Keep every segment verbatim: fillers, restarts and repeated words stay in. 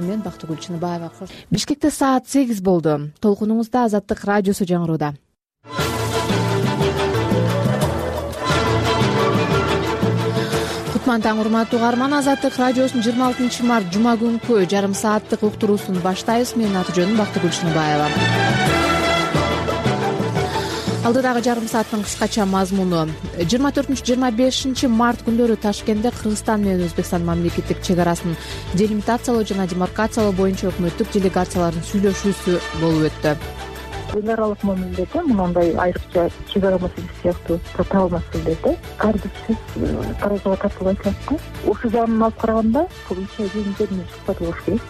мен Бактыгүл Чыныбаева. Бишкекте саат сегиз болду. Толкунуңузда Азаттык радиосу жаңырууда. Кутман таң, урматтуу угарман. Азаттык радиосунун жыйырма алтынчы март жума күнкү жарым сааттык уктуруусун баштайбыз. Менин аты жөнүм Бактыгүл Чыныбаева. Алдыдагы жарым сааттын кыскача мазмуну. жыйырма төртүнчү жыйырма бешинчи март күндөрү Ташкентте Кыргызстан менен Өзбекстан мамлекеттик чек арасын делимитациялоо жана демаркациялоо боюнча өкмөттүк делегациялардын сүйлөшүүсү болуп өттү. Эл аралык мамиледе мындай айрыкча чек ара маселеси сыяктуу татаал маселелерде ар бир сөз таразага тартылбайт го. Ошол жагын алып караганда бул иши жөнүндө сукпат болуш керек.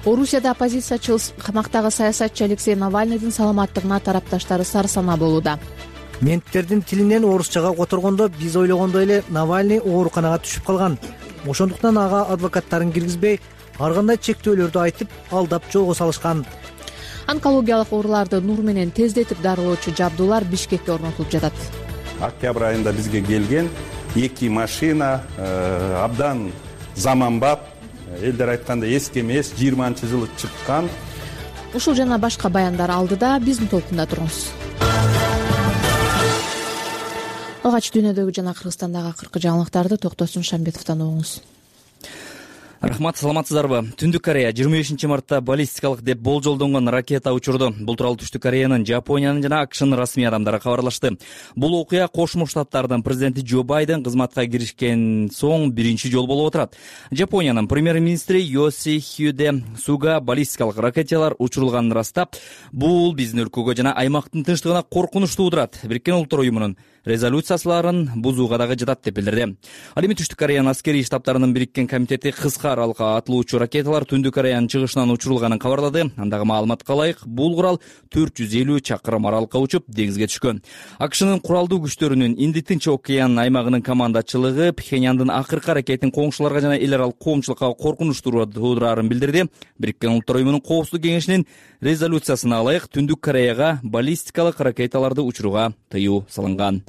Орусияда оппозициячы камактагы саясатчы Алексей Навальныйдын саламаттыгына тарапташтары сарсанаа болууда. Менттердин тилинен орусчага которгондо биз ойлогондой эле Навальный ооруканага түшүп калган. Ошондуктан ага адвокаттарын киргизбей, ар кандай чектөөлөрдү айтып, алдап жолго салышкан. Онкологиялык ооруларды нур менен тездетип дарылоочу жабдуулар Бишкекте орнотулуп жатат. Октябрь айында бизге келген эки машина абдан заманбап, элдер айтканда эски эмес, жыйырманчы жылы чыккан. Ушул жана башка баяндар алдыда биздин толкунда туруңуз. Алгач дүйнөдөгү жана Кыргызстандагы акыркы жаңылыктарды Токтосун Шамбетовдон угуңуз. Рахмат, саламатсыздарбы? Түндүк Корея жыйырма бешинчи мартта баллистикалык деп болжолдонгон ракета учурду. Бул тууралуу Түштүк Кореянын, Жапониянын жана АКШнын расмий адамдары кабарлашты. Бул окуя Кошмо Штаттардын президенти Джо Байден кызматка киришкен соң биринчи жолу болуп отурат. Жапониянын премьер-министри Йосихиде Суга баллистикалык ракеталар учурулганын ырастап, бул биздин өлкөгө жана аймактын тынчтыгына коркунуч туудурат. Бириккен Улуттар уюмунун резолюциясыларын бузууга дагы жатат деп билдирди. Ал эми Түштүк Кореянын аскерий штабтарынын бириккен комитети кыска аралыкка атылуучу ракеталар Түндүк Кореянын чыгышынан учурулганын кабарлады. Андагы маалыматка ылайык, бул курал төрт жүз элүү чакырым аралыкка учуп, деңизге түшкөн. АКШнын куралдуу күчтөрүнүн Инди Тынч океан аймагынын командачылыгы Пхеньяндын акыркы аракетин коңшуларга жана эл аралык коомчулукка коркунуч туудурарын билдирди. Бириккен Улуттар уюмунун Коопсуздук кеңешинин резолюциясына ылайык Түндүк Кореяга баллистикалык ракеталарды учурууга тыюу салынган.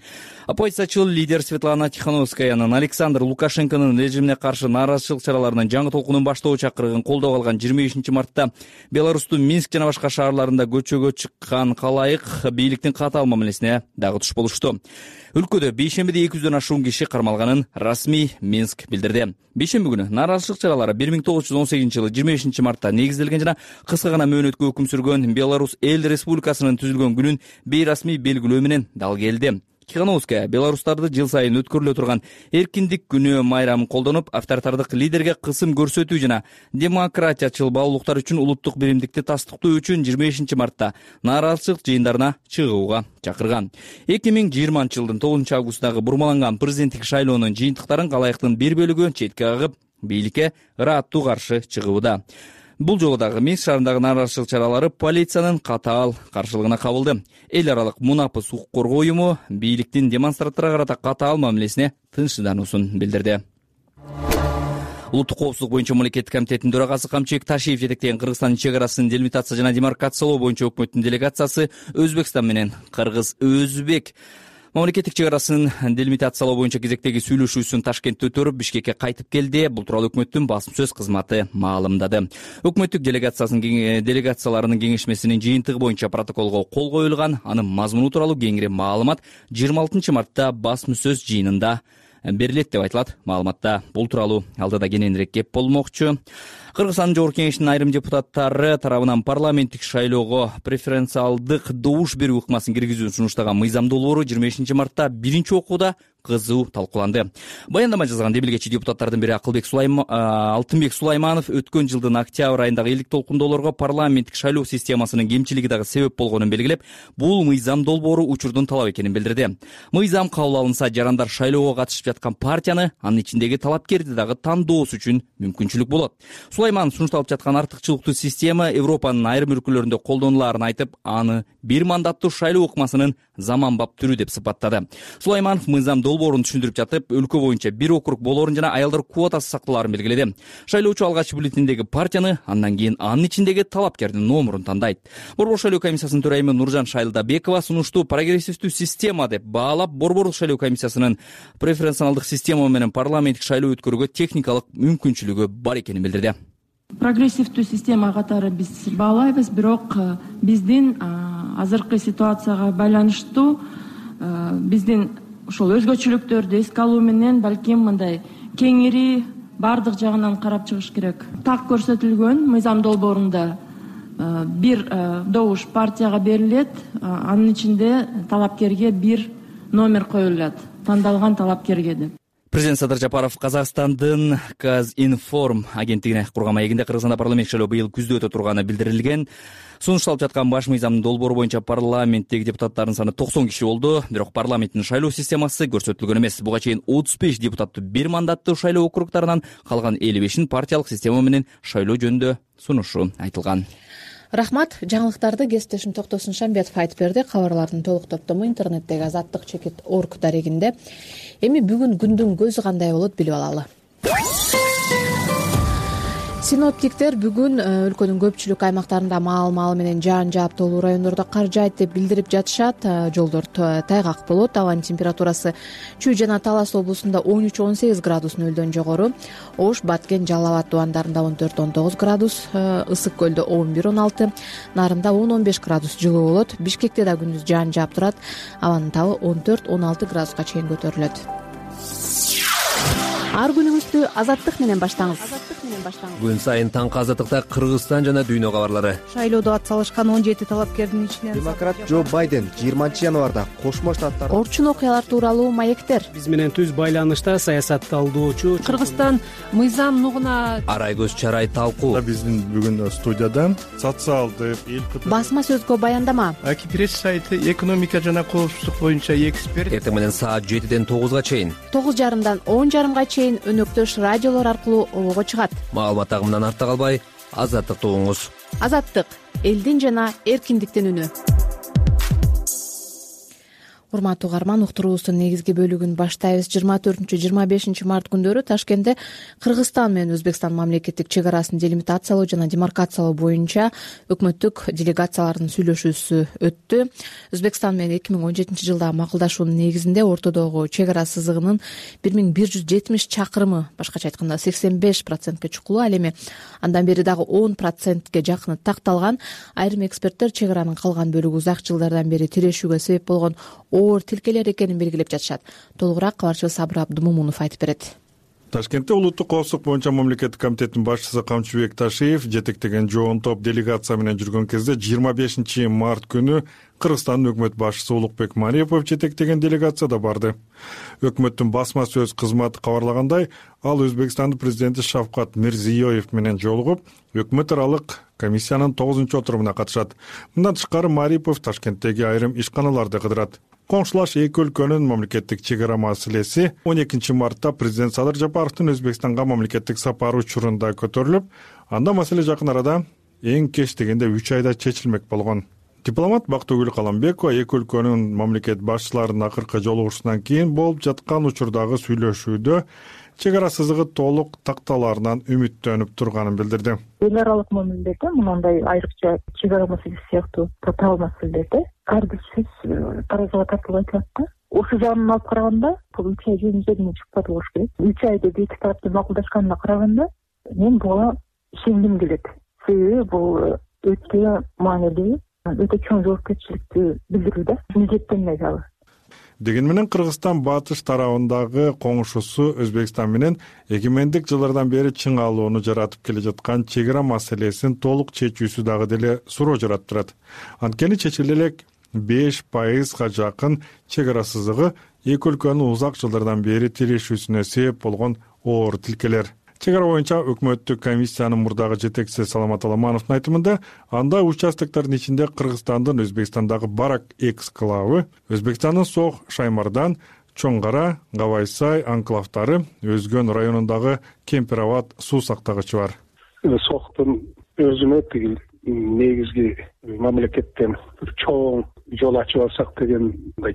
Оппозициячыл лидер Светлана Тихановскаянын Александр Лукашенконун режимине каршы нааразычылык чараларынын жаңы толкунун баштоо чакырыгын колдоп алган жыйырма бешинчи мартта Беларустун Минск жана башка шаарларында көчөгө чыккан калайык бийликтин катаал мамилесине дагы туш болушту. Өлкөдө бейшембиде эки жүздөн ашуун киши кармалганын расмий Минск билдирди. Бейшемби күнү нааразычылык чаралары бир миң тогуз жүз он сегизинчи жылы жыйырма бешинчи мартта негизделген жана кыска гана мөөнөткө өкүм сүргөн Беларусь эл республикасынын түзүлгөн күнүн бейрасмий белгилөө менен дал келди. Тихановская Беларустарды жыл сайын өткөрүлө турган эркиндик күнү майрамын колдонуп, авторитардык лидерге кысым көрсөтүү жана демократиячыл баалуулуктар үчүн улуттук биримдикти тастыктоо үчүн жыйырма бешинчи мартта нааразычылык жыйындарына чыгууга чакырган. эки миң жыйырманчы жылдын тогузунчу августундагы бурмаланган президенттик шайлоонун жыйынтыктарын калайыктын бир бөлүгү четке кагып, бийликке ырааттуу каршы чыгууда. Бул жолу дагы Минск шаарындагы нааразычылык чаралары полициянын катаал каршылыгына кабылды. Эл аралык мунапыс укук коргоо уюму бийликтин демонстранттарга карата катаал мамилесине тынчсыздануусун билдирди. Улуттук коопсуздук боюнча мамлекеттик комитеттин төрагасы Камчыбек Ташиев жетектеген Кыргызстандын чек арасын делимитация жана демаркациялоо боюнча өкмөттүн делегациясы Өзбекстан менен Кыргыз Өзбек мамлекеттик чек арасын делимитациялоо боюнча кезектеги сүйлөшүүсүн Ташкентте өтөрүп, Бишкекке кайтып келди. Бул тууралуу өкмөттүн басым сөз кызматы маалымдады. Өкмөттүк делегациясынын делегацияларынын кеңешмесинин жыйынтыгы боюнча протоколго кол коюлган. Анын мазмуну тууралуу кеңири маалымат жыйырма алтынчы мартта басым сөз жыйынында берилет деп айтылат маалыматта. Бул тууралуу алдыда кененирээк кеп болмокчу. Кыргызстандын Жогорку Кеңешинин айрым депутаттары тарабынан парламенттик шайлоого преференциалдык добуш берүү ыкмасын киргизүүнү сунуштаган мыйзам долбоору жыйырма бешинчи мартта биринчи окууда кызуу талкууланды. Баяндама жазган демилгечи депутаттардын бири Акылбек Сулайм... Алтынбек Сулайманов өткөн жылдын октябрь айындагы элдик толкундоолорго парламенттик шайлоо системасынын кемчилиги дагы себеп болгонун белгилеп, бул мыйзам долбоору учурдун талап экенин билдирди. Мыйзам кабыл алынса, жарандар шайлоого катышып жаткан партияны, анын ичиндеги талапкерди дагы тандоосу үчүн мүмкүнчүлүк болот. Сулайман сунушталып жаткан артыкчылыктуу система Европанын айрым өлкөлөрүндө колдонулаарын айтып, аны бир мандаттуу шайлоо ыкмасынын заманбап түрү деп сыпаттады. Сулайманов мыйзам долбоорун түшүндүрүп жатып, өлкө боюнча бир округ болорун жана аялдар квотасы сакталаарын белгиледи. Шайлоочу алгач бюллетендеги партияны, андан кийин анын ичиндеги талапкердин номурун тандайт. Борбор шайлоо комиссиясынын төрайымы Нуржан Шайлдабекова сунуштуу прогрессивдүү система деп баалап, Борборлук шайлоо комиссиясынын преференциалдык система менен парламенттик шайлоо өткөрүүгө техникалык мүмкүнчүлүгү бар экенин билдирди. Прогрессивдүү система катары биз баалайбыз, бирок биздин азыркы ситуацияга байланыштуу биздин ошол өзгөчөлүктөрдү эске алуу менен балким мындай кеңири баардык жагынан карап чыгыш керек. Так көрсөтүлгөн мыйзам долбоорунда бир добуш партияга берилет, анын ичинде талапкерге бир номер коюлат, тандалган талапкерге деп. Президент Садыр Жапаров Казакстандын Казинформ агенттигине курган маегинде Кыргызстанда парламент шайлоо быйыл күздө өтө турганы билдирилген. Сунушталып жаткан баш мыйзамдын долбоору боюнча парламенттеги депутаттардын саны токсон киши болду. Бирок парламенттин шайлоо системасы көрсөтүлгөн эмес. Буга чейин отуз беш депутаттуу бир мандаттуу шайлоо округдарынан, калган элүү бешин партиялык система менен шайлоо жөнүндө сунушу айтылган. Рахмат. Жаңылыктарды кесиптешим Токтосун Шамбетов айтып берди. Кабарлардын толук топтому интернеттеги азаттык чекит орг дарегинде. Эми бүгүн күндүн көзү кандай болот билип алалы. Синоптиктер бүгүн өлкөнүн көпчүлүк аймактарында маал-маал менен жаан жааптуулуу райондордо кар жаайт деп билдирип жатышат. Жолдор тайгак болот. Абанын температурасы Чүй жана Талас облусунда он үч он сегиз градус нөлдөн жогору, Ош, Баткен, Жалал Абад тубандарында он төрт он тогуз градус, Ысык көлдө он бир он алты, Нарында он он беш градус жылуу болот. Бишкекте да күндүз жаан жаап турат. Абанын табы он төрт он алты градуска чейин көтөрүлөт. Ар күнүңүздү азаттык менен баштаңыз. Күн сайын таңкы азаттыкта Кыргызстан жана дүйнө кабарлары. Шайлоодо ат салышкан он жети талапкердин ичинен демократ Джо Байден жыйырманчы январда Кошмо Штаттар Орчун окуялар тууралуу маектер. Биз менен түз байланышта саясатталдоочу Кыргызстан мыйзам нугуна Арай көз чарай талкуу. Биздин бүгүн студияда социалдык эл басма сөзгө баяндама. Аки пресс сайты экономика жана коопсуздук боюнча эксперт. Эртең менен саат жетиден тогузга чейин, тогуз жарымдан он жарымга чейин өнөктөш радиолор аркылуу обого чыгат. Маалымат агымынан артта калбай, азаттыкты угуңуз. Азаттык — элдин жана эркиндиктин үнү. Урматтуу угарман, уктуруубуздун негизги бөлүгүн баштайбыз. жыйырма төртүнчү жыйырма бешинчи март күндөрү Ташкентте Кыргызстан менен Өзбекстан мамлекеттик чек арасын делимитациялоо жана демаркациялоо боюнча өкмөттүк делегациялардын сүйлөшүүсү өттү. Өзбекстан менен эки миң он жетинчи жылдагы макулдашуунун негизинде ортодогу чек ара сызыгынын бир миң бир жүз жетимиш чакырымы, башкача айтканда сексен беш процентке чукулуу, ал эми андан бери дагы он процентке жакыны такталган. Айрым эксперттер чек аранын калган бөлүгү узак жылдардан бери тирешүүгө себеп болгон оор тилкелер экенин белгилеп жатышат. Толугураак кабарчыбыз Сабыр Абдымомунов айтып берет. Ташкентте улуттук коопсуздук боюнча мамлекеттик комитеттин башчысы Камчыбек Ташиев жетектеген жоон топ делегация менен жүргөн кезде жыйырма бешинчи март күнү Кыргызстандын өкмөт башчысы Улукбек Мариапов жетектеген делегацияда барды. Өкмөттүн басма сөз кызматы кабарлагандай, ал Өзбекстандын президенти Шавкат Мирзиёев менен жолугуп, өкмөт аралык комиссиянын тогузунчу отурумуна катышат. Мындан тышкары Мариапов Ташкенттеги айрым ишканаларды кыдырат. Коңшулаш эки өлкөнүн мамлекеттик чек ара маселеси он экинчи мартта президент Садыр Жапаровдун Өзбекстанга мамлекеттик сапары учурунда көтөрүлүп, анда маселе жакын арада эң кеч дегенде үч айда чечилмек болгон. Дипломат Бактыгүл Каламбекова эки өлкөнүн мамлекет башчыларынын акыркы жолугушуусунан кийин болуп жаткан учурдагы сүйлөшүүдө чек ара сызыгы толук такталаарынан үмүттөнүп турганын билдирди. Эл аралык мамилелерде мындай айрыкча чек ара маселеси сыяктуу татаал маселелерде ар бир сөз таразыга тартылып айтылат да. Ошол жагынан алып караганда бул үч ай жөнүндө чыкпады болуш керек. үч айда эки тараптын макулдашканына караганда мен буга ишенгим келет. Себеби бул өтө маанилүү, өтө чоң жоопкерчиликти билдирүү да. Милдеттенме дагы. Деген менен Кыргызстан батыш тарабындагы коңшусу Өзбекстан менен эгемендик жылдардан бери чың алууну жаратып келе жаткан чек ара маселесин толук чечүүсү дагы деле суроо жараттырат. Анткени чечиле элек беш пайызга жакын чек ара сызыгы эки өлкөнүн узак жылдардан бери тирешүүсүнө себеп болгон оор тилкелер. Чек ара боюнча өкмөттүк комиссиянын мурдагы жетекчиси Саламат Аламановдун айтымында, анда участоктордун ичинде Кыргызстандын Өзбекстандагы Барак эксклавы, Өзбекстандын Сох, Шаймардан, Чоң Кара, Гавайсай анклавдары, Өзгөн районундагы Кемпир Абад суу сактагычы бар. Сохтун өзүнө тигил негизги мамлекеттен чоң жол ачып алсак деген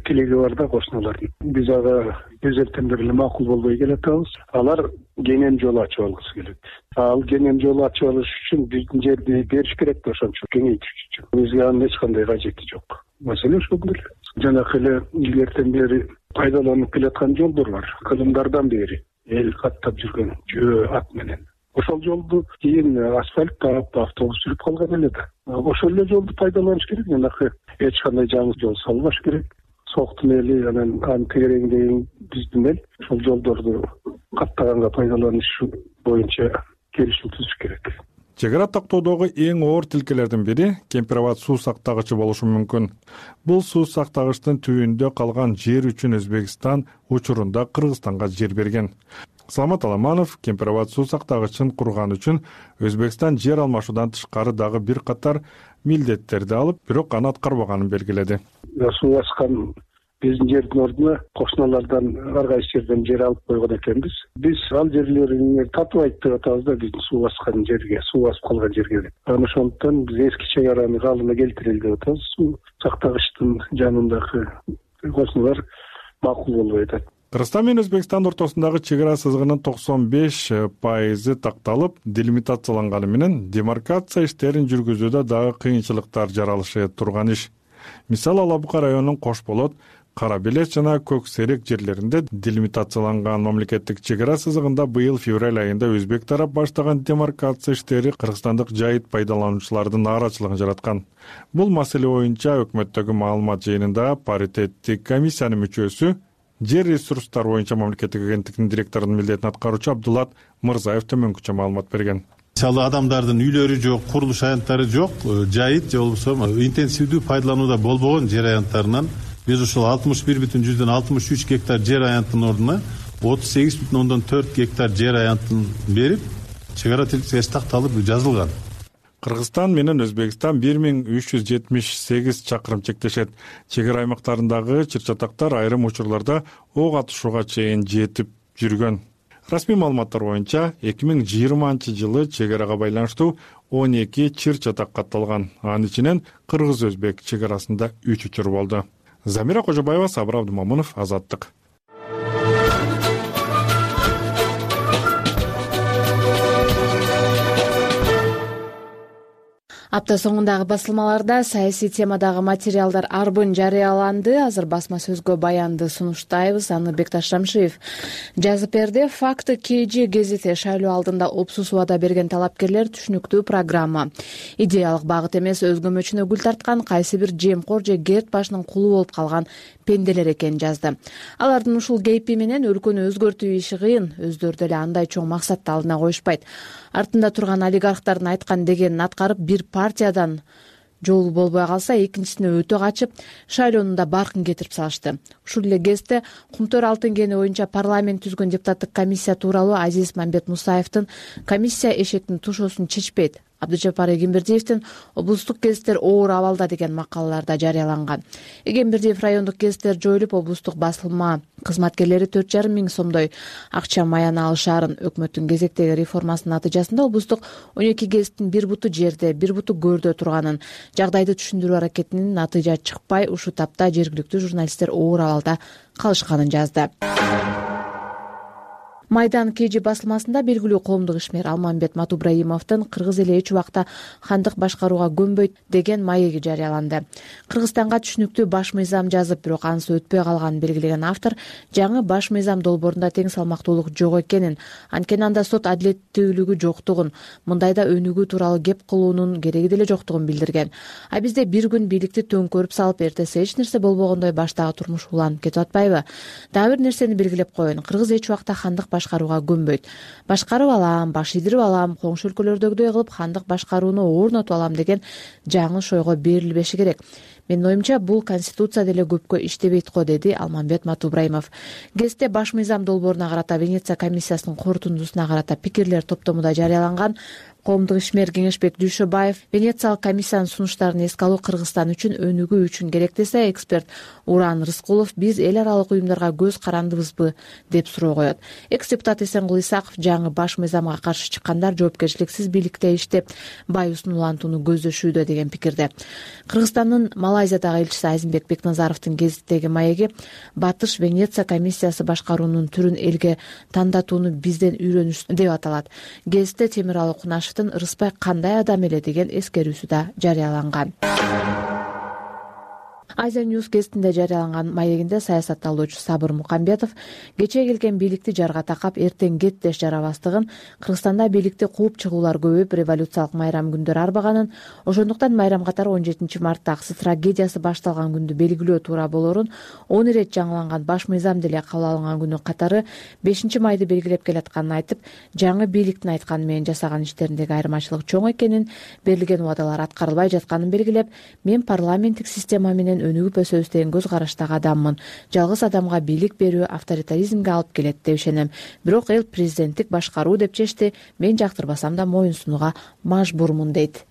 тилеги бар да кошуналардын. Биз ага өзелтендер эле макул болбой келатабыз. Алар кенен жол ачып алгысы келет. Ал кенен жол ачып алыш үчүн биздин жерди бериш керек да, ошончо кеңейтиш үчүн. Бизге анын эч кандай кажети жок. Маселе ошол эле. Жанакы эле илгертен бери пайдаланып келаткан жолдор бар. Кылымдардан бери эл каттап жүргөн жөө ат менен. ошол жолду кийин асфальт таап автобус жүрүп калган эле да. Ошол эле жолду пайдаланыш керек. Жанакы эч кандай жаңы жол салбаш керек. Соктун эли анан анын тегереңдеген биздин эл ошол жолдорду каттаганга пайдаланыш боюнча келишим түзүш керек. Чек ара тактоодогу эң оор тилкелердин бири Кемпир-Абад суу сактагычы болушу мүмкүн. Бул суу сактагычтын түбүндө калган жер үчүн Өзбекстан учурунда Кыргызстанга жер берген. Саламат Аламанов Кемпир-Абад суу сактагычын курган үчүн Өзбекстан жер алмашуудан тышкары дагы бир катар милдеттерди алып, бирок аны аткарбаганын белгиледи. Суу баскан биздин жердин ордуна кошуналардан ар кайсы жерден жер алып койгон экенбиз. Биз ал жерлерин татыбайт деп атабыз да, биздин суу баскан жерге, суу басып калган жерге. Анан ошондуктан биз эски чек араны калыбына келтирели деп атабыз. Суу сактагычтын жанындагы кошуналар макул болбой атат. Кыргызстан менен Өзбекстан ортосундагы чек ара сызыгынын токсон беш пайызы такталып, делимитацияланганы менен демаркация иштерин жүргүзүүдө дагы кыйынчылыктар жаралышы турган иш. Мисалы Ала Бука районунун Кош Болот, Кара Белес жана Көк Серек жерлеринде делимитацияланган мамлекеттик чек ара сызыгында быйыл февраль айында өзбек тарап баштаган демаркация иштери кыргызстандык жайыт пайдалануучулардын нааразычылыгын жараткан. Бул маселе боюнча өкмөттөгү маалымат жыйынында паритеттик комиссиянын мүчөсү, жер ресурстары боюнча мамлекеттик агенттиктин директорунун милдетин аткаруучу Абдулат Мырзаев төмөнкүчө маалымат берген. Мисалы адамдардын үйлөрү жок, курулуш аянттары жок, жайыт же болбосо интенсивдүү пайдаланууда болбогон жер аянттарынан биз ушул алтымыш бир бүтүн жүздөн алтымыш үч гектар жер аянтынын ордуна отуз сегиз бүтүн ондон төрт гектар жер аянтын берип, чек ара тилкеси такталып жазылган. Кыргызстан менен Өзбекстан бир миң үч жүз жетимиш сегиз чакырым чектешет. Чек ара аймактарындагы чыр-чатактар айрым учурларда ок атышууга чейин жетип жүргөн. Расмий маалыматтар боюнча эки миң жыйырманчы жылы чек арага байланыштуу он эки чыр-чатак катталган. Анын ичинен кыргыз-өзбек чек арасында үч учур болду. Замира Кожобаева, Сабыр Абдымомунов, Азаттык. Апта соңундагы басылмаларда саясий темадагы материалдар арбын жарыяланды. Азыр басма сөзгө баянды сунуштайбыз. Аны Бекташ Рамшиев жазып берди. Факты КЖ гезити шайлоо алдында опсус убада берген талапкерлер түшүнүктүү программа. Идеялык багыт эмес, өзгөмөчүнө гүл тарткан кайсы бир жемкор же керт башынын кулу болуп калган пенделер экенин жазды. Алардын ушул кейпи менен өлкөнү өзгөртүү иши кыйын. Өздөрү деле андай чоң максатты алдына коюшпайт. Артында турган олигархтардын айткан дегенин аткарып, бир партиядан жолу болбой калса, экинчисине өтө качып, шайлоону да баркын кетирип салышты. Ушул эле кезде Кумтөр алтын кени боюнча парламент түзгөн депутаттык комиссия тууралуу Азиз Мамбет Мусаевдин комиссия эшектин тушоосун чечпейт, Абдыжапар Эгембердиевдин облустук гезиттер оор абалда деген макалаларда жарыяланган. Эгембердиев райондук гезиттер жоюлуп, облустук басылма кызматкерлери төрт жарым миң сомдой акча маяна алышаарын, өкмөттүн кезектеги реформасынын натыйжасында облустук он эки гезиттин бир буту жерде, бир буту көрдө турганын, жагдайды түшүндүрүү аракетинин натыйжа чыкпай, ушул тапта жергиликтүү журналисттер оор абалда калышканын жазды. Майдан КЖ басылмасында белгилүү коомдук ишмер Алмамбет Матубраимовдун «Кыргыз эли эч убакта хандык башкарууга көнбөйт» деген маеги жарыяланды. Кыргызстанга түшүнүктүү баш мыйзам жазып, бирок анысы өтпөй калганын белгилеген автор жаңы баш мыйзам долбоорунда тең салмактуулук жок экенин, анткени анда сот адилеттүүлүгү жоктугун, мындайда өнүгүү тууралуу кеп кылуунун кереги деле жоктугун билдирген. А бизде бир күн бийликти төңкөрүп салып, эртеси эч нерсе болбогондой баштагы турмуш уланып кетип атпайбы? Дагы бир нерсени белгилеп коеюн. Кыргыз эч убакта хандык башкарууга көнбөйт. Башкарып алам, баш ийдирип алам, коңшу өлкөлөрдөгүдөй кылып хандык башкарууну орнотуп алам деген жаңы ойго берилбеши керек. Менин оюмча, бул конституция деле көпкө иштебейт го, деди Алмамбет Матубраимов. Гезитте баш мыйзам долбооруна карата Венеция комиссиясынын корутундусуна карата пикирлер топтомунда жарыяланган. Коомдук ишмер Кеңешбек Дүйшөбаев Венециялык комиссиянын сунуштарын эске алуу Кыргызстан үчүн өнүгүү үчүн керек десе, эксперт Уран Рыскулов биз эл аралык уюмдарга көз карандыбызбы деп суроо коет. Экс-депутат Эсенгул Исаков жаңы баш мыйзамга каршы чыккандар жоопкерчиликсиз бийликте иштеп, байысын улантууну көздөшүүдө деген пикирде. Кыргызстандын Малайзиядагы элчиси Азимбек Бекназаровдун гезиттеги маеги Батыш Венеция комиссиясы башкаруунун түрүн элге тандатууну бизден үйрөнүш деп аталат. Гезитте Темиралы Кунашев Рыспай кандай адам эле деген эскерүүсү да жарыяланган. Азия News гезитинде жарыяланган маегинде саясатталуучу Сабыр Мукамбетов кечээ келген бийликти жарга такап эртең кет деш жарабастыгын, Кыргызстанда бийликти кууп чыгуулар көбөйүп, революциялык майрам күндөр арбаганын, ошондуктан майрам катары он жетинчи мартта аксы трагедиясы башталган күндү белгилөө туура болорун, он ирет жаңыланган баш мыйзам деле кабыл алынган күнү катары бешинчи майды белгилеп келатканын айтып, жаңы бийликтин айтканы менен жасаган иштериндеги айырмачылык чоң экенин, берилген убадалар аткарылбай жатканын белгилеп, мен парламенттик система менен өнүгүп өсөбүз деген көз караштагы адаммын. Жалгыз адамга бийлик берүү авторитаризмге алып келет деп ишенем. Бирок эл президенттик башкаруу деп чечти. Мен жактырбасам да моюн сунууга мажбурмун дейт.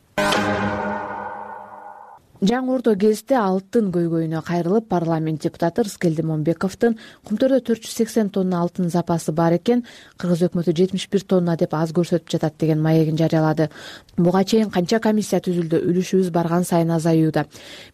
Жаңы Ордо гезити алтын көйгөйүнө кайрылып, парламент депутаты Рыскелди Момбековдун Кумтөрдө төрт жүз сексен тонна алтын запасы бар экен, Кыргыз өкмөтү жетимиш бир тонна деп аз көрсөтүп жатат деген маегин жарыялады. Буга чейин канча комиссия түзүлдү, үлүшүбүз барган сайын азаюуда.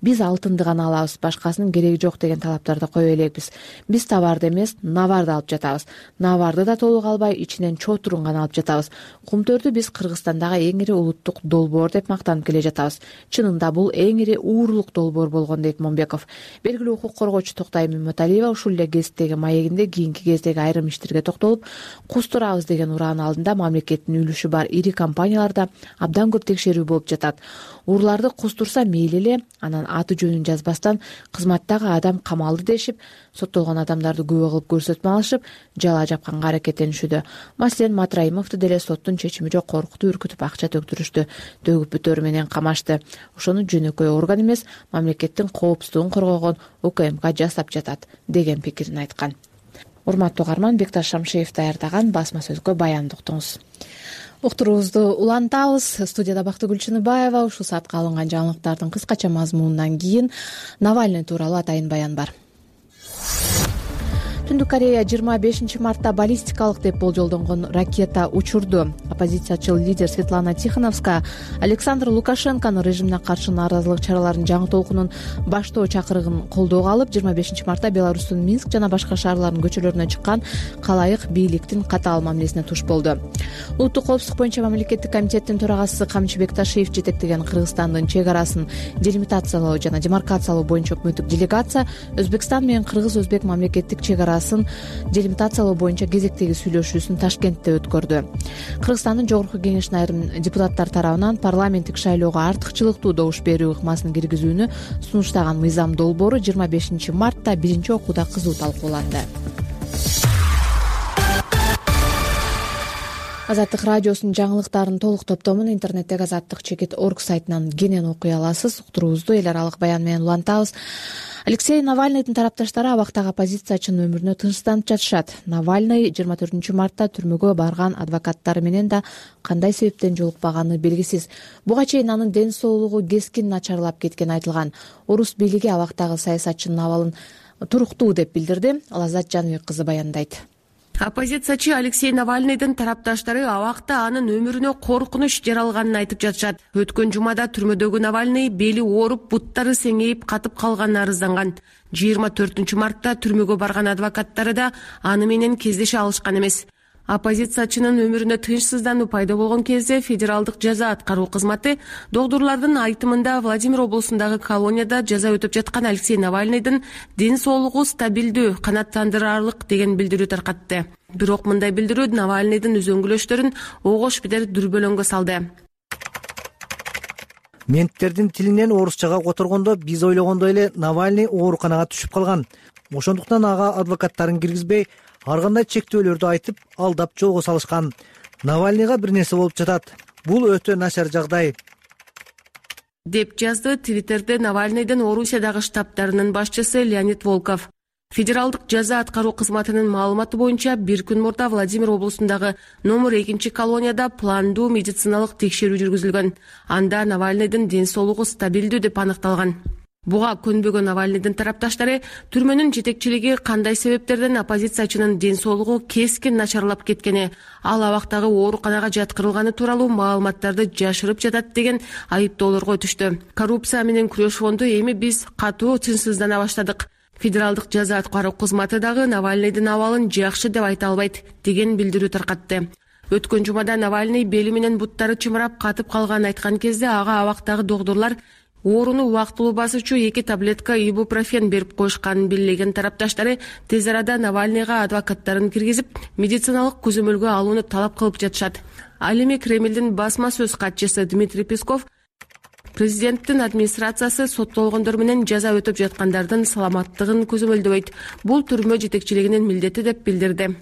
Биз алтынды гана алабыз, башкасынын кереги жок деген талаптарды кое элекпиз. Биз товарды эмес, наварды алып жатабыз. Наварды да толук албай, ичинен чотурун гана алып жатабыз. Кумтөрдү биз Кыргызстандагы эң ири улуттук долбоор деп мактанып келе жатабыз. Чынында бул эң ири уурлук долбоор болгон дейт Момбеков. Белгилүү укук коргоочу Токтай Мөмөталиева ушул эле гезиттеги маегинде кийинки кездеги айрым иштерге токтолуп, кустурабыз деген ураанын алдында мамлекеттин үлүшү бар ири компанияларда абдан көп текшерүү болуп жатат. Урларды кустурса мейли эле, анан аты жөнүн жазбастан кызматтагы адам камалды дешип, соттолгон адамдарды күбө кылып көрсөтмө алышып, жала жапканга аракеттенишүүдө. Маселен, Матраимовду деле соттун чечими жок коркутуп, үркүтүп акча төктүрүштү, төгүп бүтөөрү менен камашты. Ошону жөнөкөй орган эмес, мамлекеттин коопсуздугун коргогон УКМК жасап жатат деген пикирин айткан. Урматтуу угарман, Бекташ Шамшиев даярдаган басма сөзгө баянды уктуңуз. Уктуруубузду улантабыз. Студияда Бактыгүл Чыныбаева. Ушул саатка алынган жаңылыктардын кыскача мазмунунан кийин Навальный тууралуу атайын баян бар. Түндүк Корея жыйырма бешинчи мартта баллистикалык деп болжолдонгон ракета учурду. Оппозициячыл лидер Светлана Тихановская Александр Лукашенконун режимине каршы нааразылык чараларынын жаңы толкунун баштоо чакырыгын колдоого алып, жыйырма бешинчи мартта Беларустун Минск жана башка шаарларынын көчөлөрүнө чыккан калайык бийликтин катаал мамилесине туш болду. Улуттук коопсуздук боюнча мамлекеттик комитеттин төрагасы Камчыбек Ташиев жетектеген Кыргызстандын чек арасын делимитациялоо жана демаркациялоо боюнча өкмөттүк делегация Өзбекстан менен Кыргыз-Өзбек мамлекеттик чек арасын делимитациялоо боюнча кезектеги сүйлөшүүсүн Ташкентте өткөрдү. Кыргызстандын Жогорку Кеңешинин айрым депутаттар тарабынан парламенттик шайлоого артыкчылыктуу добуш берүү ыкмасын киргизүүнү сунуштаган мыйзам долбоору жыйырма бешинчи мартта биринчи окууда кызуу талкууланды. Азаттык радиосунун жаңылыктарын толук топтомун интернеттеги азаттык чекит орг сайтынан кенен окуй аласыз. Уктуруубузду эл аралык баян менен улантабыз. Алексей Навальныйдын тарапташтары абактагы оппозициячынын өмүрүнө тынчсызданып жатышат. Навальный жыйырма төртүнчү мартта түрмөгө барган адвокаттары менен да кандай себептен жолукпаганы белгисиз. Буга чейин анын ден соолугу кескин начарлап кеткени айтылган. Орус бийлиги абактагы саясатчынын абалын туруктуу деп билдирди. Лаззат Жаныбек кызы баяндайт. Оппозициячы Алексей Навальныйдын тарапташтары абакта анын өмүрүнө коркунуч жаралганын айтып жатышат. Өткөн жумада түрмөдөгү Навальный бели ооруп, буттары сеңейип катып калганын арызданган. жыйырма төртүнчү мартта түрмөгө барган адвокаттары да аны менен кездеше алышкан эмес. Оппозициячынын өмүрүнө тынчсыздануу пайда болгон кезде федералдык жаза аткаруу кызматы докторлордун айтымында Владимир облусундагы колонияда жаза өтөп жаткан Алексей Навальныйдын ден соолугу стабилдүү, канааттандырарлык деген билдирүү таркатты. Бирок мындай билдирүү Навальныйдын үзөңгүлөштөрүн огош бедер дүрбөлөңгө салды. Менттердин тилинен орусчага которгондо биз ойлогондой эле Навальный ооруканага түшүп калган. Ошондуктан ага адвокаттарын киргизбей, ар кандай чектөөлөрдү айтып, алдап жолго салышкан. Навальныйга бир нерсе болуп жатат. Бул өтө начар жагдай, деп жазды Твиттерде Навальныйдын Орусиядагы штабтарынын башчысы Леонид Волков. Федералдык жаза аткаруу кызматынын маалыматы боюнча бир күн мурда Владимир облусундагы номер экинчи колонияда пландуу медициналык текшерүү жүргүзүлгөн. Анда Навальныйдын ден соолугу стабилдүү деп аныкталган. Буга көнбөгөн Навальныйдын тарапташтары түрмөнүн жетекчилиги кандай себептерден оппозициячынын ден соолугу кескин начарлап кеткени, ал абактагы ооруканага жаткырылганы тууралуу маалыматтарды жашырып жатат деген айыптоолорго өтүштү. Коррупция менен күрөш фонду эми биз катуу тынчсыздана баштадык. Федералдык жаза аткаруу кызматы дагы Навальныйдын абалын жакшы деп айта албайт деген билдирүү таркатты. Өткөн жумада Навальный бели менен буттары чымырап катып калганын айткан кезде ага абактагы докторлор Ооруну убактылуу басуучу эки таблетка ибупрофен берип коюшканын белгилеген тарапташтары тез арада Навальныйга адвокаттарын киргизип, медициналык көзөмөлгө алууну талап кылып жатышат. Ал эми Кремлдин басма сөз катчысы Дмитрий Песков президенттин администрациясы соттолгондор менен жаза өтөп жаткандардын саламаттыгын көзөмөлдөбөйт. Бул түрмө жетекчилигинин милдети деп билдирди.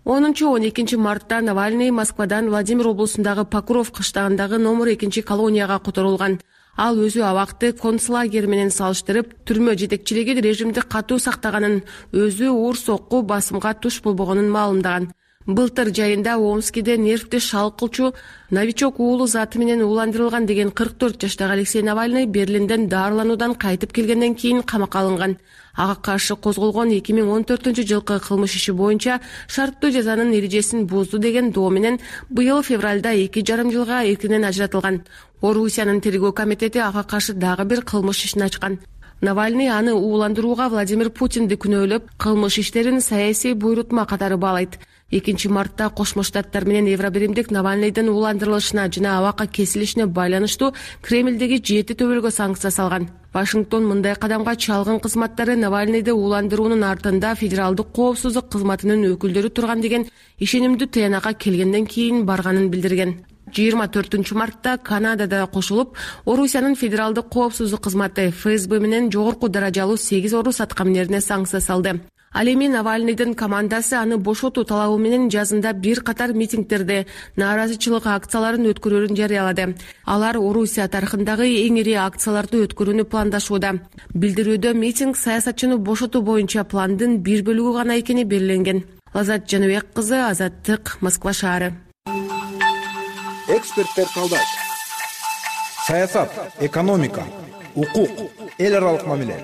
онунчу он экинчи мартта Навальный Москвадан Владимир облусундагы Покров кыштагындагы номер экинчи колонияга которулган. Ал өзү абакты концлагер менен салыштырып, түрмө жетекчилиги режимди катуу сактаганын, өзү уур сокку басымга туш болбогонун маалымдаган. Былтыр жайында Омскиде нервти шал кылчу новичок уулу заты менен ууландырылган деген кырк төрт жаштагы Алексей Навальный Берлинден дарылануудан кайтып келгенден кийин камакка алынган. Ага каршы козголгон эки миң он төртүнчү жылкы кылмыш иши боюнча шарттуу жазанын эрежесин бузду деген доо менен быйыл февралда эки жарым жылга эркинен ажыратылган. Орусиянын тергөө комитети ага каршы дагы бир кылмыш ишин ачкан. Навальный аны ууландырууга Владимир Путинди күнөөлөп, кылмыш иштерин саясий буйрутма катары баалайт. экинчи мартта Кошмо Штаттар менен Евробиримдик Навальныйдын ууландырылышына жана абакка кесилишине байланыштуу Кремлдеги жети төбөлгө санкция салган. Вашингтон мындай кадамга чалгын кызматтары Навальныйды ууландыруунун артында федералдык коопсуздук кызматынын өкүлдөрү турган деген ишенимдүү тыянакка келгенден кийин барганын билдирген. жыйырма төртүнчү мартта Канадада кошулуп, Орусиянын федералдык коопсуздук кызматы эф эс бэ менен жогорку даражалуу сегиз орус аткаминерине санкция салды. Ал эми Навальныйдын командасы аны бошотуу талабы менен жазында бир катар митингдерди, нааразычылык акцияларын өткөрүүрүн жарыялады. Алар Орусия тарыхындагы эң ири акцияларды өткөрүүнү пландашууда. Билдирүүдө митинг саясатчыны бошотуу боюнча пландын бир бөлүгү гана экени белгиленген. Лазат Жаныбек кызы, Азаттык, Москва шаары. Эксперттер талдайт. Саясат, экономика, укук, эл аралык мамиле,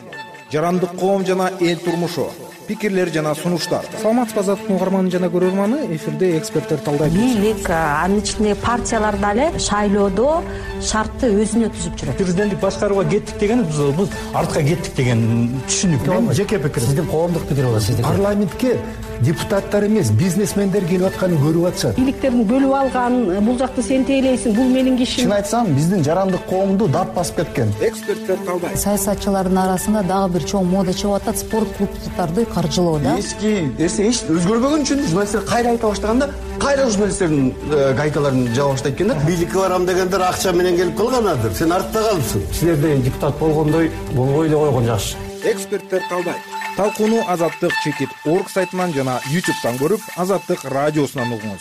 жарандык коом жана эл турмушу, пикирлер жана сунуштар. Саламатсызбы Азаттык угарманы жана көрөрманы, эфирде эксперттер талдайт. Бийлик, анын ичинде партиялар дагы шайлоодо шартты өзүнө түзүп жүрөт. Президенттик башкарууга кеттик деген биз артка кеттик деген түшүнүк. Менин жеке пикирим. Сиздин коомдук пикир болот, сиздики. Парламентке депутаттар эмес, бизнесмендер келип атканын көрүп атышат. Бийликтердин бөлүп алган, бул жакты сен тейлейсиң, бул менин кишим. Чын айтсам, биздин жарандык коомду дат басып кеткен. Эксперттер талдайт. Саясатчылардын арасында дагы бир чоң мода чыгып атат, спорт клубдарды каржылоо да. Эски эсе эч өзгөрбөгөн үчүн журналисттер кайра айта баштаганда, кайра журналисттердин гайталарын жаба баштайт экен да. Бийликке барам дегендер акча менен келип калганадыр. Сен артта калыпсың. Силерде депутат болгондой болбой эле койгон жакшы. Эксперттер талдайт. Талкууну Азаттык чекит орг сайтынан жана ютубтан көрүп, Азаттык радиосунан угуңуз.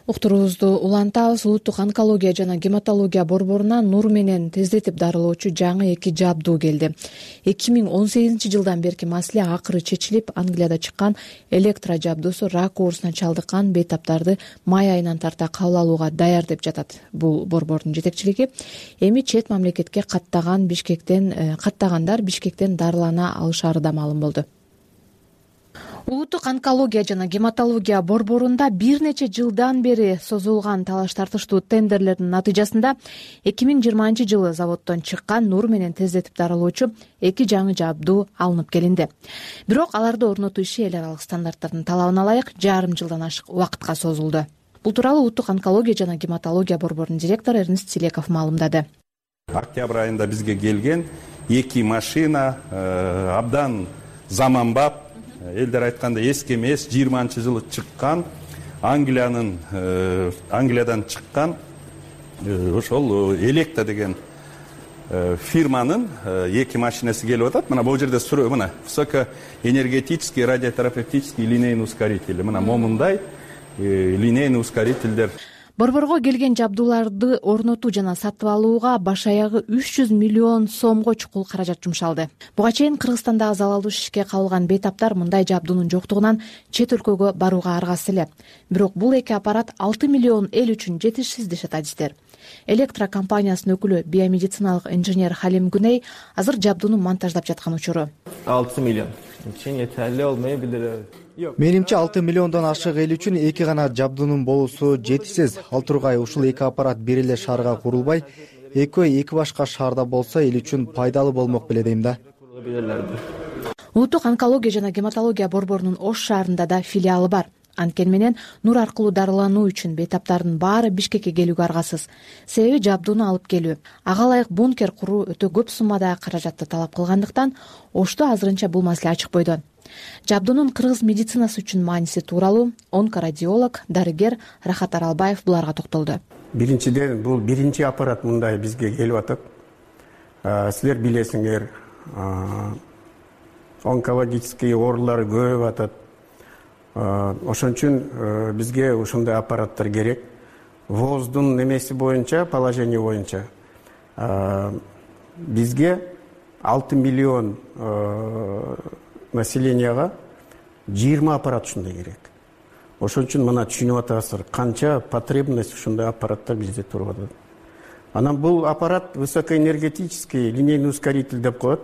Уктуруубузду улантабыз. Улуттук онкология жана гематология борборуна нур менен тездетип дарылоочу жаңы эки жабдуу келди. эки миң он сегизинчи жылдан берки маселе акыры чечилип, Англияда чыккан электро жабдуусу рак оорусуна чалдыккан бейтаптарды май айынан тарта кабыл алууга даяр деп жатат бул борбордун жетекчилиги. Эми чет мамлекетке каттаган Бишкектен каттагандар Бишкектен дарылана алышары да маалым болду. Улуттук онкология жана гематология борборунда бир нече жылдан бери созулган талаш тартыштуу тендерлердин натыйжасында эки миң жыйырманчы жылы заводдон чыккан нур менен тездетип дарылоочу эки жаңы жабдуу алынып келинди. Бирок аларды орнотуу иши эл аралык стандарттардын талабына ылайык жарым жылдан ашык убакытка созулду. Бул тууралуу Улуттук онкология жана гематология борборунун директору Эрнест Силеков маалымдады. Октябрь айында бизге келген эки машина абдан заманбап, элдер айтканда эски эмес, жыйырманчы жылы чыккан, Англиянын Англиядан чыккан ошол Электа деген фирманын эки машинасы келип атат. Мына бул жерде сүрө, мына высокоэнергетический радиотерапевтический линейный ускоритель. Мына момундай линейный ускорительдер. Борборго келген жабдууларды орнотуу жана сатып алууга баш аягы үч жүз миллион сомго чукул каражат жумшалды. Буга чейин Кыргызстандагы залалдуу шишке кабылган бейтаптар мындай жабдуунун жоктугунан чет өлкөгө барууга аргасыз эле. Бирок бул эки аппарат алты миллион эл үчүн жетишсиз дешет адистер. Электро компаниясынын өкүлү биомедициналык инженер Халим Гүней азыр жабдууну монтаждап жаткан учуру. алты миллион үчүн жетерли болмой билдирет. Менимче алты миллиондон ашык эл үчүн эки гана жабдуунун болуусу жетишсиз. Ал тургай ушул эки аппарат бир эле шаарга курулбай, экөө эки башка шаарда болсо эл үчүн пайдалуу болмок беле дейм да. Улуттук онкология жана гематология борборунун Ош шаарында да филиалы бар. Анткени менен нур аркылуу дарылануу үчүн бейтаптардын баары Бишкекке келүүгө аргасыз. Себеби жабдууну алып келүү, ага ылайык бункер куруу өтө көп суммадагы каражатты талап кылгандыктан Ошто азырынча бул маселе ачык бойдон. Жабдуунун кыргыз медицинасы үчүн мааниси тууралуу онкорадиолог, дарыгер Рахат Аралбаев буларга токтолду. Биринчиден, бул биринчи аппарат мындай бизге келип атат. Силер билесиңер, онкологический оорулар көбөйүп атат. Ошон үчүн бизге ушундай аппараттар керек. ВОЗдун немеси боюнча, положение боюнча бизге алты миллион населенияга жыйырма аппарат ушундай керек. Ошон үчүн мына түшүнүп атасыздар, канча потребность ушундай аппараттар бизде туруп атат. Анан бул аппарат высокоэнергетический линейный ускоритель деп коет.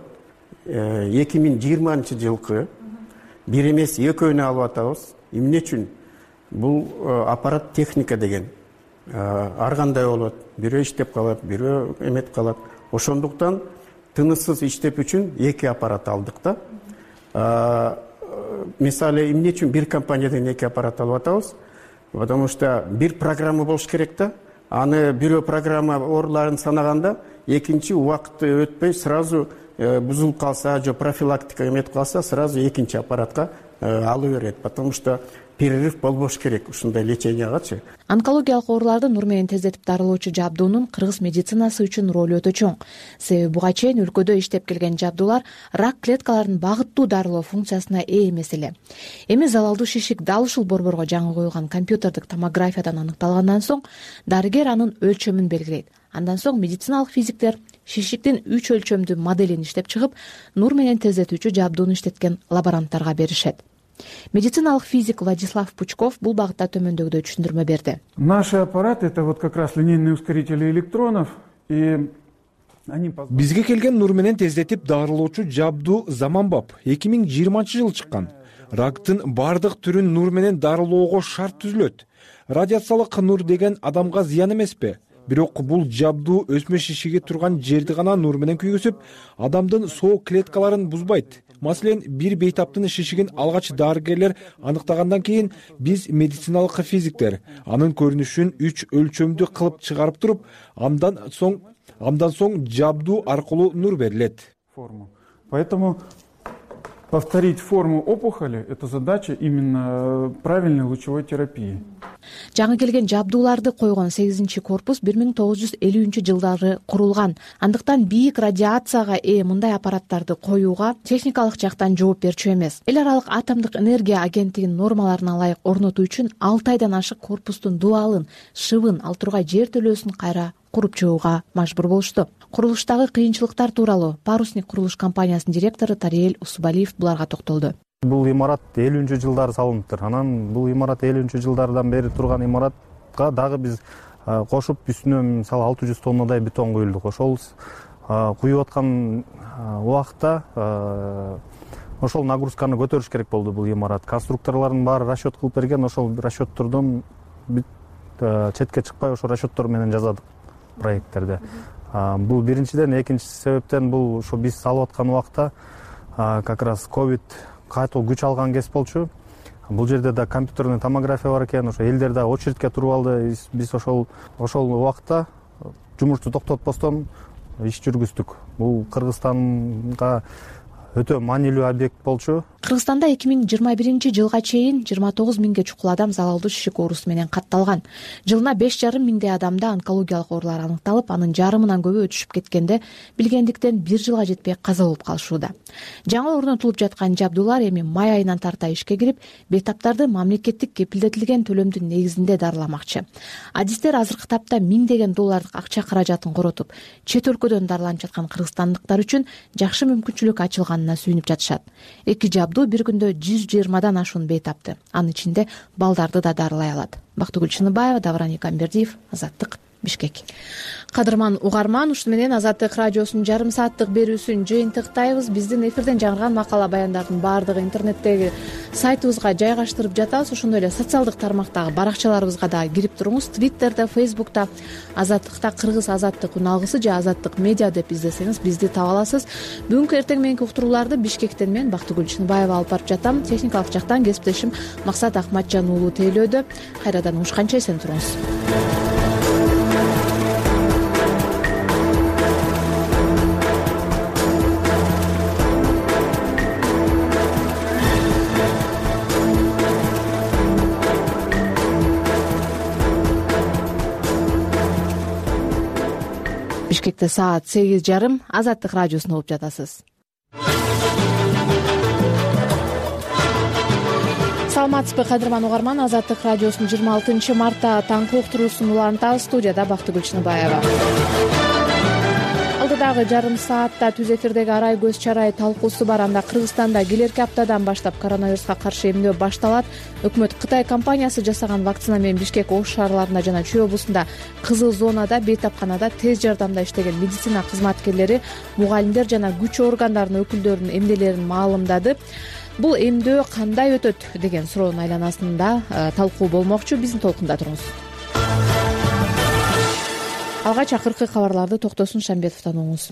эки миң жыйырманчы жылкы бир эмес экөөнү алып атабыз. Эмне үчүн? Бул аппарат техника деген ар кандай болот. Бирөө иштеп калат, бирөө эметип калат. Ошондуктан тыныссыз иштеп үчүн эки аппарат алдык да. Мисалы, эмне үчүн бир компаниядан эки аппарат алып атабыз? Потому что бир программа болуш керек да. Аны бирөө программа ооруларын санаганда, экинчи убакыты өтпөй сразу бузулуп калса, же профилактика эметип калса, сразу экинчи аппаратка алып берет. Потому что перерыв болбош керек ушундай лечениягачы. Онкологиялык ооруларды нур менен тездетип дарылоочу жабдуунун кыргыз медицинасы үчүн ролу өтө чоң. Себеби буга чейин өлкөдө иштеп келген жабдуулар рак клеткаларын багыттуу дарылоо функциясына ээ эмес эле. Эми залалдуу шишик дал ушул борборго жаңы коюлган компьютердик томографиядан аныкталгандан соң дарыгер анын өлчөмүн белгилейт. Андан соң медициналык физиктер шишиктин үч өлчөмдүү моделин иштеп чыгып, нур менен тездетүүчү жабдууну иштеткен лаборанттарга беришет. Медициналык физик Владислав Пучков бул багытта төмөндөгүдөй түшүндүрмө берди. Наши аппараты — это вот как раз линейные ускорители электронов, и бизге келген нур менен тездетип дарылоочу жабдуу заманбап эки миң жыйырманчы жылы чыккан. Рактын бардык түрүн нур менен дарылоого шарт түзүлөт. Радиациялык нур деген адамга зыян эмеспи? Бирок бул жабдуу өсмө шишиги турган жерди гана нур менен күйгүзүп, адамдын соо клеткаларын бузбайт. Маселен, бир бейтаптын шишигин алгач дарыгерлер аныктагандан кийин биз медициналык физиктер анын көрүнүшүн үч өлчөмдүү кылып чыгарып туруп, андан соң андан соң жабдуу аркылуу нур берилет. Поэтому повторить форму опухоли — это задача именно правильной лучевой терапии. Жаңы келген жабдууларды койгон сегизинчи корпус бир миң тогуз жүз элүүнчү жылдары курулган. Андыктан бийик радиацияга ээ мындай аппараттарды коюуга техникалык жактан жооп берчү эмес. Эл аралык атомдук энергия агенттигинин нормаларына ылайык орнотуу үчүн алты айдан ашык корпустун дубалын, шыбын, ал тургай жер төлөөсүн кайра куруп чыгууга мажбур болушту. Курулуштагы кыйынчылыктар тууралуу Парусник курулуш компаниясынын директору Тариел Усубалиев буларга токтолду. Бул имарат элүүнчү жылдары салыныптыр. Анан бул имарат элүүнчү жылдардан бери турган имаратка дагы биз кошуп үстүнө мисалы алты жүз тоннадай бетон куюлдук. Ошол куюп аткан убакта ошол нагрузканы көтөрүш керек болду бул имарат. Конструкторлордун баары расчет кылып берген, ошол расчеттордон четке чыкпай ошол расчеттор менен жазадык проекттерди. Бул биринчиден, экинчи себептен бул ошо биз салып аткан убакта как раз ковид катуу күч алган кез болчу. Бул жерде да компьютерный томография бар экен, ошо элдер да очередке туруп алды. Биз ошол ошол убакта жумушту токтотпостон иш жүргүздүк. Бул Кыргызстанга өтө маанилүү объект болчу. Кыргызстанда эки миң жыйырма биринчи жылга чейин жыйырма тогуз миңге чукул адам залалдуу шишик оорусу менен катталган. Жылына беш жарым миңдей адамда онкологиялык оорулар аныкталып, анын жарымынан көбү өтүшүп кеткенде билгендиктен бир жылга жетпей каза болуп калышууда. Жаңы орнотулуп жаткан жабдуулар эми май айынан тарта ишке кирип, бейтаптарды мамлекеттик кепилдетилген төлөмдүн негизинде дарыламакчы. Адистер азыркы тапта миңдеген доллардык акча каражатын коротуп, чет өлкөдөн дарыланып жаткан кыргызстандыктар үчүн жакшы мүмкүнчүлүк ачылганына сүйүнүп жатышат. Эки жабдуу бир күндө жүз жыйырмадан ашуун бейтапты. Анын ичинде балдарды да дарылай алат. Бактыгүл Чыныбаева, Давран Экамбердиев, Азаттык, Бишкек. Кадырман угарман, ушуну менен Азаттык радиосунун жарым сааттык берүүсүн жыйынтыктайбыз. Биздин эфирден жаңырган макала баяндардын баардыгы интернеттеги сайтыбызга жайгаштырып жатабыз. Ошондой эле социалдык тармактагы баракчаларыбызга да кирип туруңуз. Твиттерде, Фейсбукта Азаттыкта Кыргыз Азаттык уналгысы же Азаттык медиа деп издесеңиз бизди таба аласыз. Бүгүнкү эртең мененки уктурууларды Бишкектен мен Бактыгүл Чыныбаева алып барып жатам. Техникалык жактан кесиптешим Максат Акматжан уулу тейлөөдө. Кайрадан угушканча эсен туруңуз. Бишкекте саат сегиз жарым. Азаттык радиосун угуп жатасыз. Саламатсызбы кадырман угарман, Азаттык радиосунун жыйырма алтынчы мартта таңкы уктуруусун улантабыз. Студияда Бактыгүл Чыныбаева. Алдыдагы жарым саатта түз эфирдеги арай көз чарай талкуусу бар. Анда Кыргызстанда келерки аптадан баштап коронавируска каршы эмдөө башталат. Өкмөт Кытай компаниясы жасаган вакцина менен Бишкек ош шаарларында жана Чүй облусунда кызыл зонада, бейтапканада тез жардамда иштеген медицина кызматкерлери, мугалимдер жана күч органдарынын өкүлдөрүнүн эмнелерин маалымдады. Бул эмдөө кандай өтөт деген суроонун айланасында талкуу болмокчу. Биздин толкунда туруңуз. Алгач акыркы кабарларды Токтосун Шамбетовдон угуңуз.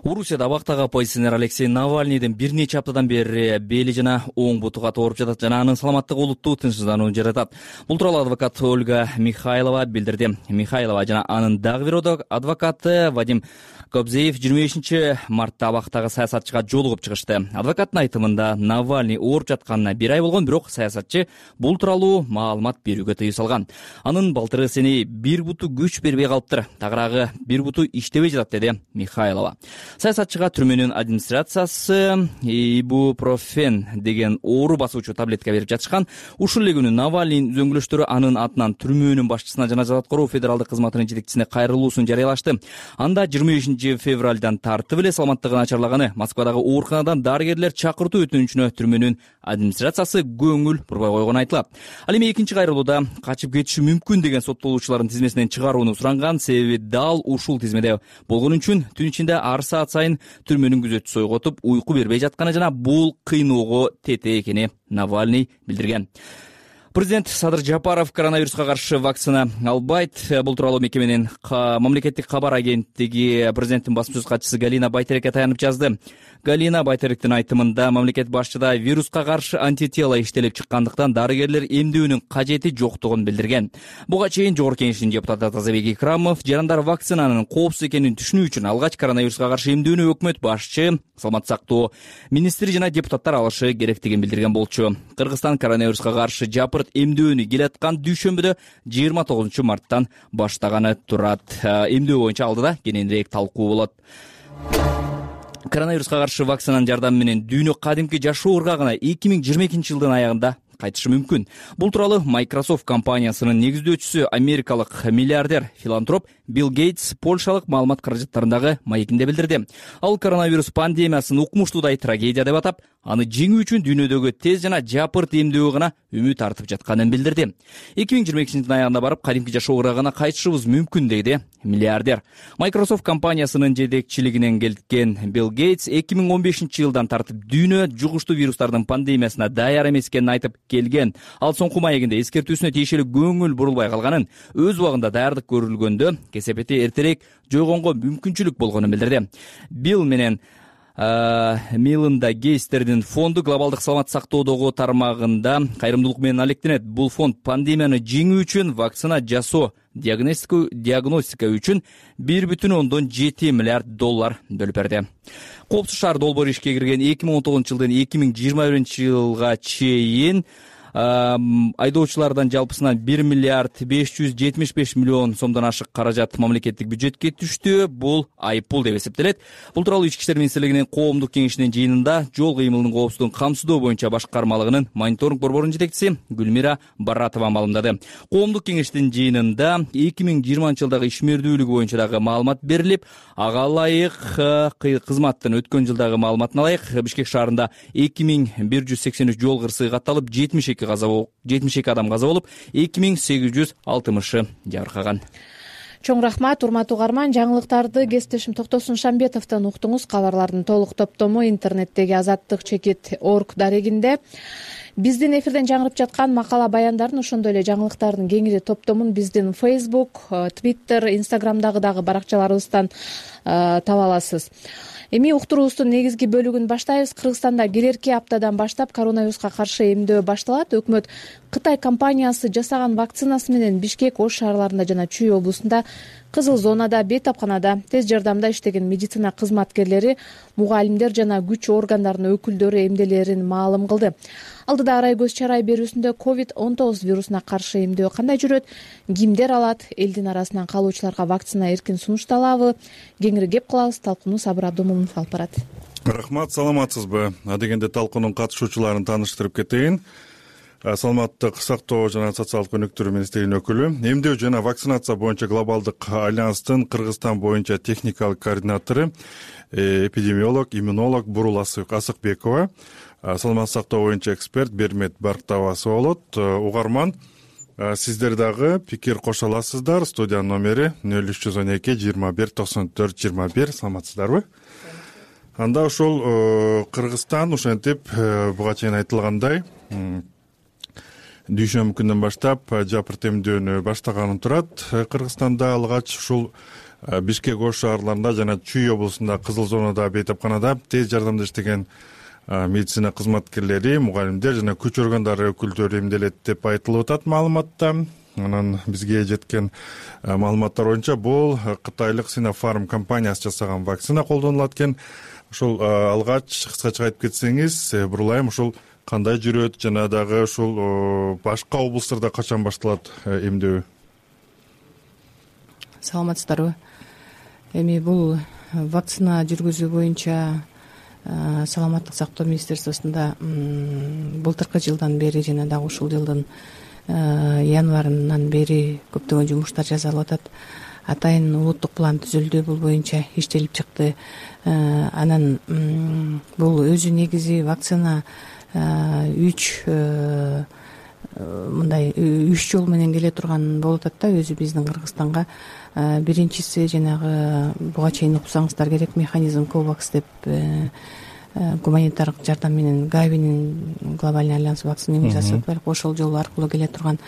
Орусияда абактагы оппозиционер Алексей Навальныйдын бир нече аптадан бери бели жана оң бутуга ооруп жатат жана анын саламаттыгы олуттуу тынчсызданууну жаратат. Бул тууралуу адвокат Ольга Михайлова билдирди. Михайлова жана анын дагы бир адвокаты Вадим Кобзеев жыйырма бешинчи мартта абактагы саясатчыга жолугуп чыгышты. Адвокаттын айтымында Навальный ооруп жатканына бир ай болгон, бирок саясатчы бул тууралуу маалымат берүүгө тыюу салган. Анын балтыры сени бир буту күч бербей калыптыр, тагыраагы бир буту иштебей жатат, деди Михайлова. Саясатчыга түрмөнүн администрациясы ибупрофен деген оору басуучу таблетка берип жатышкан. Ушул эле күнү Навальныйдын үзөңгүлөштөрү анын атынан түрмөнүн башчысына жана жаза аткаруу федералдык кызматынын жетекчисине кайрылуусун жарыялашты. Анда жыйырма бешинчи февралдан тартып эле саламаттыгы начарлаганы, Москвадагы ооруканадан дарыгерлер чакыртуу өтүнүчүнө түрмөнүн администрациясы көңүл бурбай койгону айтылат. Ал эми экинчи кайрылууда качып кетиши мүмкүн деген соттолуучулардын тизмесинен чыгарууну суранган, себеби дал ушул тизмеде болгон үчүн түн ичинде ар саат сайын түрмөнүн күзөтчүсү ойготуп, уйку бербей жатканы жана бул кыйноого тете экени Навальный билдирген. Президент Садыр Жапаров коронавируска каршы вакцина албайт. Бул тууралуу мекеменин мамлекеттик кабар агенттиги президенттин басма сөз катчысы Галина Байтерекке таянып жазды. Галина Байтеректин айтымында мамлекет башчыда вируска каршы антитела иштелип чыккандыктан дарыгерлер эмдөөнүн кажети жоктугун билдирген. Буга чейин Жогорку Кеңештин депутаты Тазабек Икрамов жарандар вакцинанын коопсуз экенин түшүнүү үчүн алгач коронавируска каршы эмдөөнү өкмөт башчы, саламат сактоо министри жана депутаттар алышы керектигин билдирген болчу. Кыргызстан коронавируска каршы жапырт эмдөөнү келаткан дүйшөмбүдө жыйырма тогузунчу марттан баштаганы турат. Эмдөө боюнча алдыда кененирээк талкуу болот. Коронавируска каршы вакцинанын жардамы менен дүйнө кадимки жашоо ыргагына эки миң жыйырма экинчи жылдын аягында кайтышы мүмкүн. Бул тууралуу Microsoft компаниясынын негиздөөчүсү, америкалык миллиардер, филантроп Билл Гейтс Польшалык маалымат каражаттарындагы маегинде билдирди. Ал коронавирус пандемиясын укмуштуудай трагедия деп атап, аны жеңүү үчүн дүйнөдөгү тез жана жапырт эмдөө гана үмүт артып жатканын билдирди. эки миң жыйырма экинчи жылдын аягында барып кадимки жашоо ыргагына кайтышыбыз мүмкүн, деди миллиардер. Microsoft компаниясынын жетекчилигинен келген Билл Гейтс эки миң он бешинчи жылдан тартып дүйнө жугуштуу вирустардын пандемиясына даяр эмес экенин айтып келген. Ал соңку маегинде эскертүүсүнө тиешелүү көңүл бурулбай калганын, өз убагында даярдык көрүлгөндө кесепети эртерээк жойгонго мүмкүнчүлүк болгонун билдирди. Билл менен Милында Гейстердин фонду глобалдык саламат сактоодогу тармагында кайрымдуулук менен алектенет. Бул фонд пандемияны жеңүү үчүн вакцина жасоо, диагностика үчүн бир бүтүн ондон жети миллиард доллар бөлүп берди. Коопсуз шаар долбоору ишке кирген эки миң он тогузунчу жылдын эки миң жыйырма биринчи жылга чейин айдоочулардан жалпысынан бир миллиард беш жүз жетимиш беш миллион сомдон ашык каражат мамлекеттик бюджетке түштү. Бул айыппул деп эсептелет. Бул тууралуу Ички иштер министрлигинин коомдук кеңешинин жыйынында жол кыймылынын коопсуздугун камсыздоо боюнча башкармалыгынын мониторинг борборунун жетекчиси Гүлмира Баратова маалымдады. Коомдук кеңештин жыйынында эки миң жыйырманчы жылдагы ишмердүүлүгү боюнча дагы маалымат берилип, ага ылайык кызматтын өткөн жылдагы маалыматына ылайык Бишкек шаарында эки миң бир жүз сексен үч жол кырсыгы катталып, жетимиш эки адам каза болуп, эки миң сегиз жүз алтымышы жабыркаган. чоң рахмат урматтуу угарман. Жаңылыктарды кесиптешим Токтосун Шамбетовдон уктуңуз. Кабарлардын толук топтому интернеттеги азаттык чекит орг дарегинде. Биздин эфирден жаңырып жаткан макала баяндарын, ошондой эле жаңылыктардын кеңири топтомун биздин Facebook, Twitter, Instagramдагы дагы баракчаларыбыздан таба аласыз. Эми уктуруубуздун негизги бөлүгүн баштайбыз. Кыргызстанда келерки аптадан баштап коронавируска каршы эмдөө башталат. Өкмөт Кытай компаниясы жасаган вакцинасы менен Бишкек, Ош шаарларында жана Чүй облусунда, кызыл зонада, бейтапканада, тез жардамда иштеген медицина кызматкерлери, мугалимдер жана күч органдарынын өкүлдөрү эмделерин маалым кылды. Алдыда арай көз чарай берүүсүндө ковид он тогуз вирусуна каршы эмдөө кандай жүрөт, кимдер алат, элдин арасынан калуучуларга вакцина эркин сунушталабы? Кеңири кеп кылабыз. Талкууну Сабыр Абдумомунов алып барат. Рахмат, саламатсызбы? Адегенде талкуунун катышуучуларын тааныштырып кетейин. Саламаттык сактоо жана социалдык өнүктүрүү министринин өкүлү, эмдөө жана вакцинация боюнча глобалдык альянстын Кыргызстан боюнча техникалык координатору, эпидемиолог, иммунолог Бурул Асыкбекова, саламаттык сактоо боюнча эксперт Бермет Барктабасов болот. Угарман, сиздер дагы пикир кошо аласыздар. Студиянын номери нөл үч жүз он эки жыйырма бир токсон төрт жыйырма бир. Саламатсыздарбы? Анда ошол Кыргызстан ошентип буга чейин айтылгандай дүйшөмбү күндөн баштап жапырт эмдөөнү баштаганын турат. Кыргызстанда алгач ушул Бишкек, Ош шаарларында жана Чүй облусунда, кызыл зонада, бейтапканада тез жардамда иштеген медицина кызматкерлери, мугалимдер жана күч органдары өкүлдөрү эмделет деп айтылып атат маалыматта. Анан бизге жеткен маалыматтар боюнча бул кытайлык Sinopharm компаниясы жасаган вакцина колдонулат экен. Ушул алгач кыскача айтып кетсеңиз, Бурулайым, ушул кандай жүрөт жана дагы ушул башка облустарда качан башталат эмдөө? Саламатсыздарбы? Эми бул вакцина жүргүзүү боюнча саламаттык сактоо министерствосунда былтыркы жылдан бери жана дагы ушул жылдын январынан бери көптөгөн жумуштар жасалып атат. Атайын улуттук план түзүлдү, бул боюнча иштелип чыкты. Анан бул өзү негизи вакцина үч мындай үч жол менен келе турган болуп атат да, өзү биздин Кыргызстанга. Биринчиси жанагы буга чейин уксаңыздар керек, механизм Ковакс деп гуманитардык жардам менен Гавинин глобальный альянс вакцина жасап атат. Ошол жол аркылуу келе турган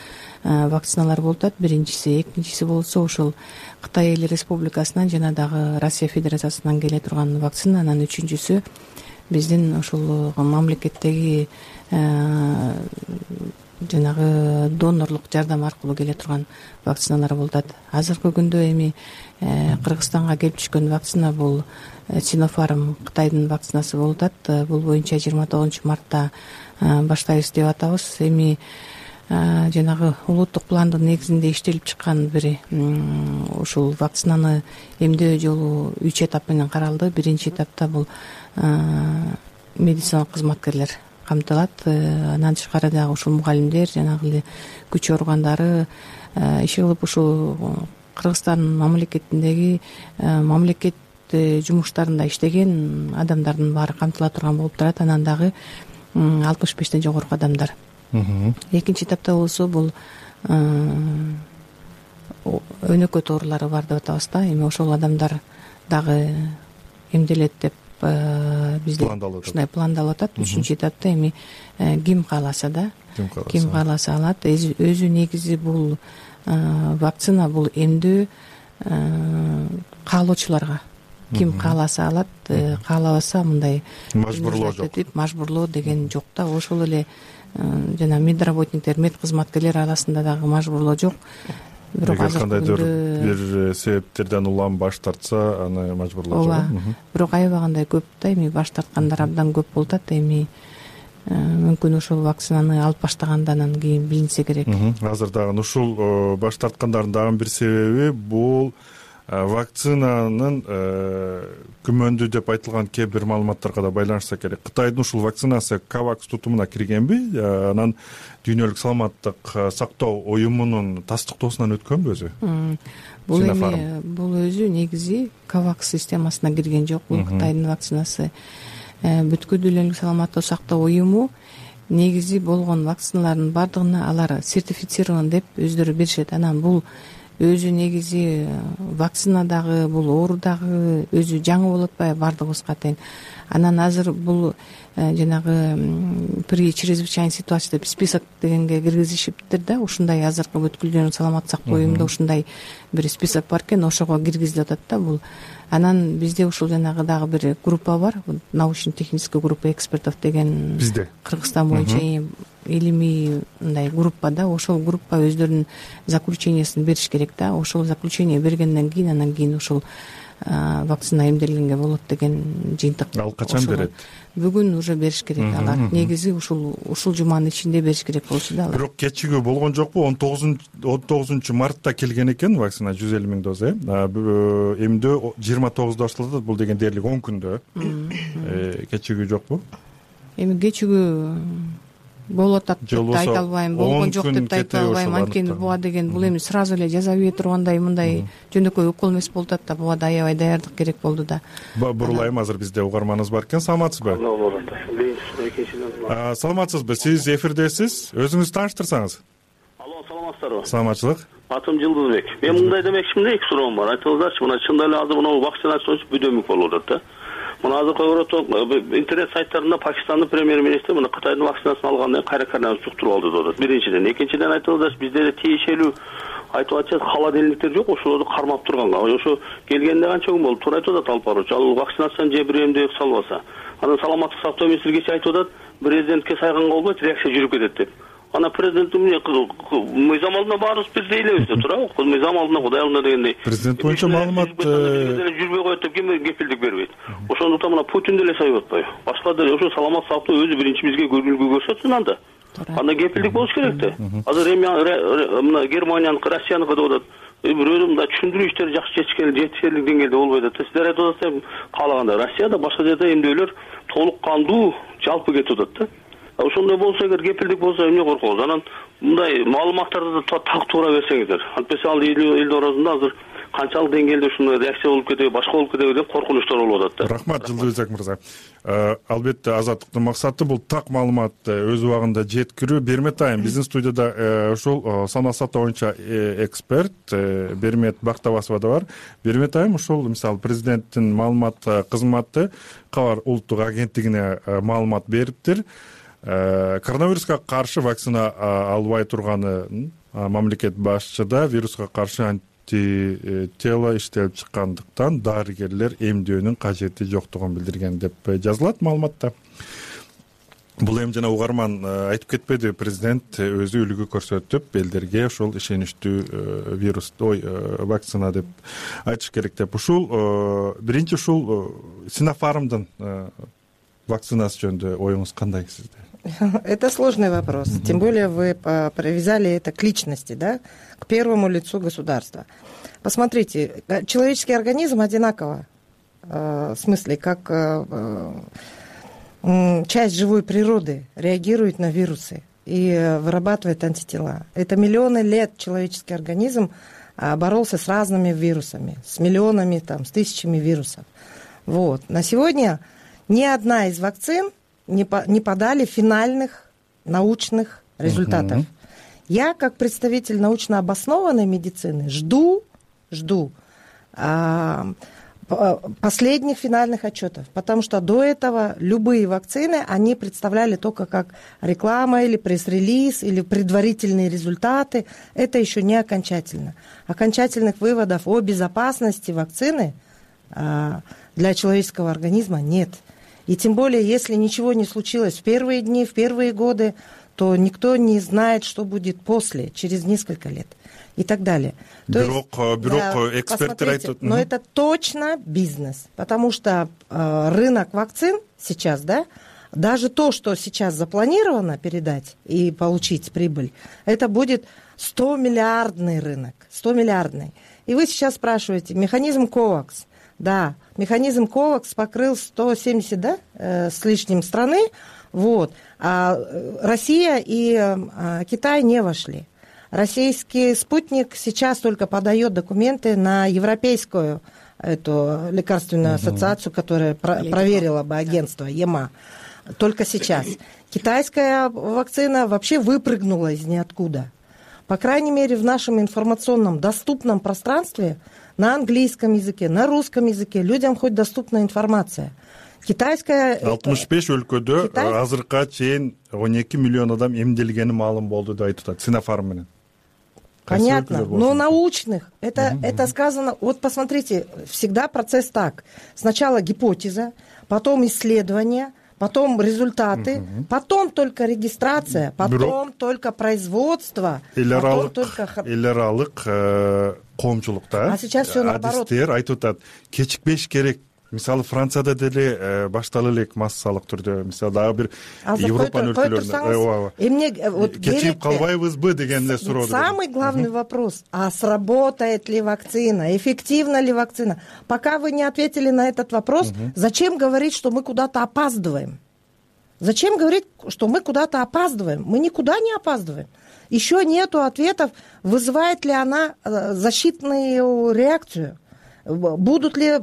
вакциналар болуп атат. Биринчиси, экинчиси болсо ошол Кытай Эл Республикасынан жана дагы Россия Федерациясынан келе турган вакцина. Анан үчүнчүсү биздин ошол мамлекеттеги жанагы донорлук жардам аркылуу келе турган вакциналар болуп атат. Азыркы күндө эми Кыргызстанга келип түшкөн вакцина бул Sinopharm Кытайдын вакцинасы болуп атат. Бул боюнча жыйырма тогузунчу мартта баштайбыз деп атабыз. Эми жанагы улуттук пландын негизинде иштелип чыккан бир ушул вакцинаны эмдөө жолу үч этап менен каралды. Биринчи этапта бул медициналык кызматкерлер камтылат. Андан тышкары дагы ушул мугалимдер, жанагы эле күч органдары иши кылып ушул Кыргызстан мамлекетиндеги мамлекет жумуштарында иштеген адамдардын баары камтыла турган болуп турат. Анан дагы алтымыш бештен жогорку адамдар. Экинчи этапта болсо бул өнөкөт оорулары бар деп атабыз да. Эми ошол адамдар дагы эмделет деп бизде ушундай пландалып атат. Үчүнчү этапта эми ким кааласа да, ким кааласа алат. Өзү негизи бул вакцина бул эмдөө каалоочуларга, ким кааласа алат, каалабаса мындай мажбурлоо жок. Мажбурлоо деген жок да. Ошол эле жана медработниктер, мед кызматкерлер арасында дагы мажбурлоо жок. Бирок азыр кандайдыр бир себептерден улам баш тартса, аны мажбурлоо жок. Бирок аябагандай көп да, эми баш тарткандар абдан көп болуп атат. Эми мүмкүн ушул вакцинаны алып баштагандан кийин билинсе керек. Азыр дагы ушул баш тарткандардын дагы бир себеби бул вакцинанын күмөндүү деп айтылган кээ бир маалыматтарга да байланышса керек. Кытайдын ушул вакцинасы Ковакс тутумуна киргенби? Анан дүйнөлүк саламаттык сактоо уюмунун тастыктоосунан өткөнбү өзү? Бул эми бул өзү негизи Ковакс системасына кирген жок. Бул Кытайдын вакцинасы. Бүткүл дүйнөлүк саламаттык сактоо уюму негизи болгон вакциналардын бардыгына алар сертифицирован деп өздөрү беришет. Анан бул өзү негизи вакцина дагы бул оору дагы өзү жаңы болуп атпайбы баардыгыбызга тең. Анан азыр бул жанагы при чрезвычайной ситуации деп список дегенге киргизишиптир да. Ушундай азыркы бүткүлдүү саламаттык сактоо уюмунда ушундай бир список бар экен, ошого киргизилип атат да бул. Анан бизде ушул жанагы дагы бир группа бар, научно-технический группа экспертов деген бизде Кыргызстан боюнча илимий мындай группа да. Ошол группа өздөрүнүн заключениясын бериш керек да. Ошол заключение бергенден кийин анан кийин ушул вакцина эмделгенге болот деген жыйынтык. Ал качан берет? Бүгүн уже бериш керек алар. Негизи ушул ушул жуманын ичинде бериш керек болчу да алар. Бирок кечигүү болгон жокпу? он тогузунчу мартта келген экен вакцина жүз элүү миң доза. Эмдөө жыйырма тогузда башталат. Бул деген дээрлик он күндө. Кечигүү жокпу? Эми кечигүү болуп атат деп айта албайм, болгон жок деп айта албайм. Анткени буга деген бул эми сразу эле жаза бере тургандай мындай жөнөкөй укол эмес болуп атат да. Буга да аябай даярдык керек болду да. Бурулайм, азыр бизде угарманыбыз бар экен. Саламатсызбы? Саламатсызбы? Сиз эфирдесиз. Өзүңүздү тааныштырсаңыз. Алло, саламатсыздарбы? Саламатчылык. Атым Жылдызбек. Мен мындай демекчимин, эки суроом бар. Айтыңыздарчы, мына чындап эле азыр мына вакцинация бүдөмүк болуп атат да. Мына азыр интернет сайттарында Пакистандын премьер-министри мына Кытайдын вакцинасын алгандан кийин кайра коронавирус жуктуруп алды деп атат. Биринчиден, экинчиден айтыңыздарчы, бізде де тиешелүү айтып атышат холодильниктер жок, ошолорду кармап турганга. Ошо келгенде канча күн болду? Туура айтып атат алып баруучу. Ал вакцинацияны же бир эмдөө салбаса. Анан саламаттык сактоо министри кечээ айтып атат, президентке сайганга болбойт, реакция жүрүп кетет деп. Ана президент эмне мыйзам алдында баарыбыз бирдей элебиз деп туурабы? Мыйзам алдында Кудай алдында дегендей. Президент боюнча маалымат жүрбөй коет деп ким кепилдик бербейт. Ошондуктан мына Путин деле сайып атпайбы? Башка деле ошо саламат сактоо өзү биринчи бизге көргүлгү көрсөтсүн анда. Анда кепилдик болуш керек да. Азыр эми мына Германияныкы, Россияныкы деп атат. Бирөө мындай түшүндүрүү иштери жакшы жетишерлик деңгээлде болбойт атат. Сиздер айтып атасыздар каалаганда Россияда башка жерде эмдөөлөр толук кандуу жалпы кетип атат да. Ошондой болсо, эгер кепилдик болсо эмне коркобуз? Анан мындай маалыматтарды так туура берсеңиздер. Антпесе ал эл орозунда азыр канчалык деңгээлде ушундай реакция болуп кетеби, башка болуп кетеби деп коркунучтар болуп атат да. Рахмат, Жылдызбек мырза. Албетте азаттыктын максаты бул так маалыматты өз убагында жеткирүү. Бермет айым, биздин студияда ошол санаа сактоо боюнча эксперт Бермет Бактабасова да бар. Бермет айым, ошол мисалы президенттин маалымат кызматы Кабар улуттук агенттигине маалымат бериптир. Коронавируска каршы вакцина албай турганын мамлекет башчыда вируска каршы антитело иштелип чыккандыктан дарыгерлер эмдөөнүн кажети жоктугун билдирген деп жазылат маалыматта. Бул эми жана угарман айтып кетпеди, президент өзү үлгү көрсөтүп элдерге ошол ишеничтүү вирус ой вакцина деп айтыш керек деп. Ушул биринчи ушул Синофармдын вакцинасы жөнүндө оюңуз кандай сизде? Это сложный вопрос. Тем более вы привязали это к личности, да, к первому лицу государства. Посмотрите, человеческий организм одинаково, в смысле, как часть живой природы реагирует на вирусы и вырабатывает антитела. Это миллионы лет человеческий организм боролся с разными вирусами, с миллионами, там, с тысячами вирусов. Вот. На сегодня ни одна из вакцин не, по, не подали финальных научных результатов. Uh-huh. Я, как представитель научно обоснованной медицины, жду, жду а, последних финальных отчетов, потому что до этого любые вакцины, они представляли только как реклама или пресс-релиз, или предварительные результаты. Это еще не окончательно. Окончательных выводов о безопасности вакцины а, для человеческого организма нет. И тем более, если ничего не случилось в первые дни, в первые годы, то никто не знает, что будет после, через несколько лет и так далее. Бирок, есть, бирок да, эксперты... Но это точно бизнес, потому что э, рынок вакцин сейчас, да, даже то, что сейчас запланировано передать и получить прибыль, это будет сто миллиардный рынок, сто миллиардный. И вы сейчас спрашиваете, механизм ковакс. Да, механизм ковакс покрыл сто семьдесят, да, э, с лишним страны, вот, а Россия и э, Китай не вошли. Российский спутник сейчас только подает документы на европейскую эту лекарственную ассоциацию, которая про- проверила бы агентство ЕМА. Только сейчас. Китайская вакцина вообще выпрыгнула из ниоткуда. по крайней мере, в нашем информационном доступном пространстве на английском языке, на русском языке людям хоть доступна информация. Китайская... алтымыш беш өлкөдө азыркыга чейин он эки миллион адам эмделгени маалым болду деп айтып атат Синофарм менен. Понятно, но научных. Это, угу. это сказано... Вот посмотрите, всегда процесс так. Сначала гипотеза, потом исследование, потом результаты, угу. потом только регистрация, потом Бюро... только производство, потом только... эл аралык коомчулукта а сейчас все наоборот. Адистер айтып атат, кечикпеш керек. Мисалы Францияда деле баштала элек массалык түрдө, мисалы дагы бир Европанын өлкөлөрүндө эмне кечигип калбайбызбы деген эле суроо. Самый главный вопрос: а сработает ли вакцина, эффективна ли вакцина? Пока вы не ответили на этот вопрос, зачем говорить, что мы куда-то опаздываем? Зачем говорить, что мы куда-то опаздываем? Мы никуда не опаздываем. Еще нету ответов, вызывает ли она защитную реакцию, будут ли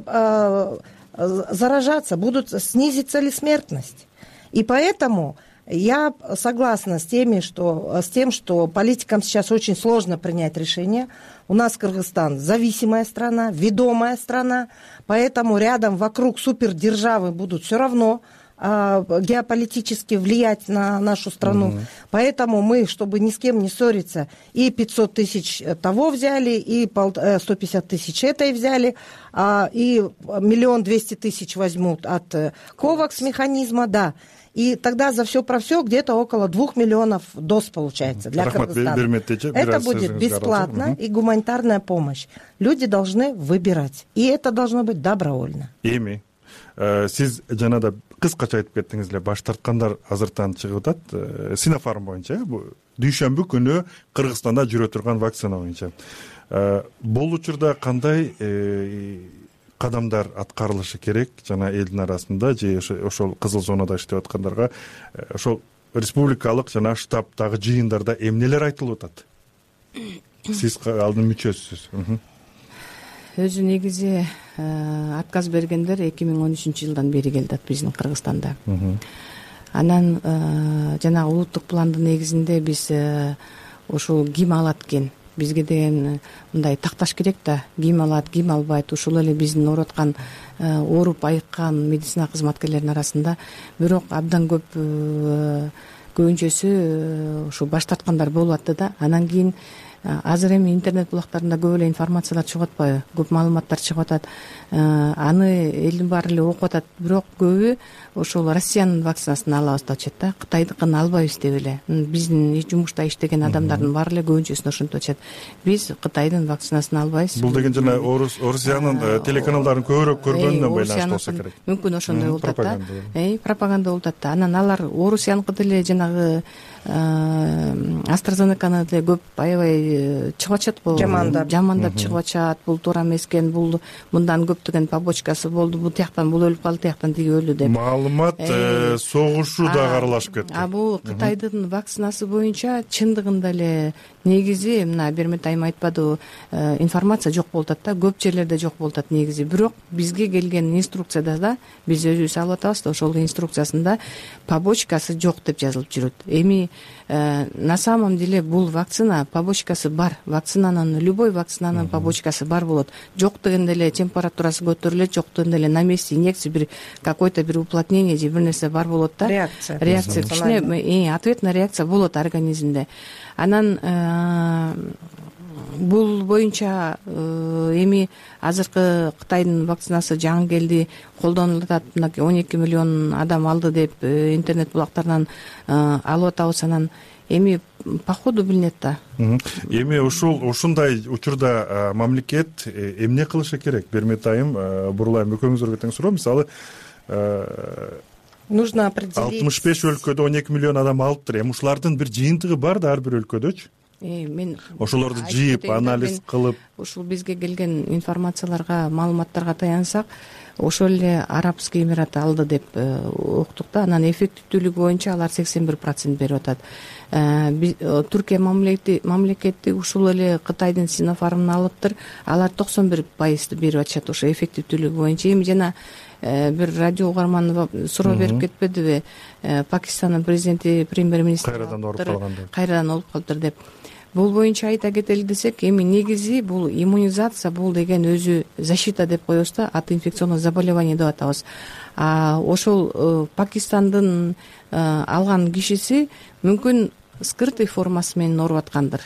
заражаться, будут снизится ли смертность. И поэтому я согласна с теми, что, с тем, что политикам сейчас очень сложно принять решение. У нас Кыргызстан зависимая страна, ведомая страна, поэтому рядом вокруг супердержавы будут все равно геополитически влиять на нашу страну. Угу. Поэтому мы, чтобы ни с кем не ссориться, и пятьсот тысяч того взяли, и сто пятьдесят тысяч этой взяли, и миллион двести тысяч возьмут от ковакс механизма, да. И тогда за все про все где-то около двух миллионов доз получается для Кыргызстана. Это будет бесплатно и гуманитарная помощь. Люди должны выбирать. И это должно быть добровольно. Эми, сиз жанада кыскача айтып кеттиңиз эле, баш тарткандар азыртан чыгып атат. Синофарм боюнча дүйшөмбү күнү Кыргызстанда жүрө турган вакцина боюнча. Бул учурда кандай кадамдар аткарылышы керек жана элдин арасында же ошол кызыл зонада иштеп аткандарга ошол республикалык жана штабдагы жыйындарда эмнелер айтылып атат? Сиз алдын мүчөсүз. Өзү негизи отказ бергендер эки миң он үчүнчү жылдан бери келди биздин Кыргызстанда. Анан жанагы улуттук пландын негизинде биз ошол ким алат экен, бизге деген мындай такташ керек да, ким алат, ким албайт, ушул эле биздин ооруткан, ооруп айыккан медицина кызматкерлеринин арасында. Бирок абдан көп көбүнчөсү ушу баш тарткандар болуп атты да. Анан кийин азыр эми интернет булактарында көп эле информациялар чыгып атпайбы, көп маалыматтар чыгып атат. Аны элдин баары эле окуп атат, бирок көбү ошол Россиянын вакцинасын алабыз деп атышат да, Кытайдыкын албайбыз деп эле. Биздин жумушта иштеген адамдардын баары эле көбүнчөсүн ошентип атышат. Биз Кытайдын вакцинасын албайбыз. Бул деген жана Орусиянын телеканалдарын көбүрөөк көргөнүнөн байланыштуу болсо керек. Мүмкүн ошондой болуп атат да. Эй, пропаганда болуп атат да. Анан алар Орусияныкы деле жанагы AstraZeneca'ны деле көп аябай чыгып атышат го. Жамандап. Жамандап чыгып атышат. Бул туура эмес экен, бул мындан көптөгөн побочкасы болду, бул тияктан бул өлүп калды, тияктан тиги өлдү деп. Маалымат согушу дагы аралашып кетти. А бул Кытайдын вакцинасы боюнча чындыгында эле негизи мына Бермет айым айтпадыбы, информация жок болуп атат да, көп жерлерде жок болуп атат негизи. Бирок бизге келген инструкцияда да биз өзүбүз алып атабыз да, ошол инструкциясында побочкасы жок деп жазылып жүрөт. Эми на самом деле бул вакцина побочкасы бар. Вакцинанын, любой вакцинанын побочкасы бар болот. Жок дегенде эле температурасы көтөрүлөт, жок дегенде эле на месте инъекция, бир какой-то бир уплотнение же бир нерсе бар болот да. Реакция. Реакция. Кичине ответная реакция болот организмде. Анан бул боюнча эми азыркы Кытайдын вакцинасы жаңы келди, колдонулуп атат, он эки миллион адам алды деп интернет булактарынан алып атабыз. Анан эми по ходу билинет да. Эми ушул ушундай учурда мамлекет эмне кылышы керек? Бермет айым, Бурлайым экөөңүзгө тең суроо. Мисалы нужно определить алтымыш беш өлкөдө он эки миллион адам алыптыр. Эми ушулардын бир жыйынтыгы бар да ар бир өлкөдөчү. Мен ошолорду жыйып, анализ кылып, ушул бизге келген информацияларга, маалыматтарга таянсак, ошол эле Арабский Эмират алды деп уктук да. Анан эффективдүүлүгү боюнча алар сексен бир процент берип атат. Түркия мамлекети ушул эле Кытайдын Синофармын алыптыр. Алар токсон бир пайызды берип атышат ошо эффективдүүлүгү боюнча. Эми жана бир радио угарман суроо берип кетпедиби? Пакистандын президенти, премьер-министри кайрадан ооруп калган деп. Кайрадан ооруп калыптыр деп. бул боюнча айта кетели десек, эми негизи бул иммунизация, бул деген өзү защита деп коебуз да, от инфекционных заболеваний деп атабыз. А ошол Пакистандын алган кишиси мүмкүн скрытый формасы менен ооруп аткандыр,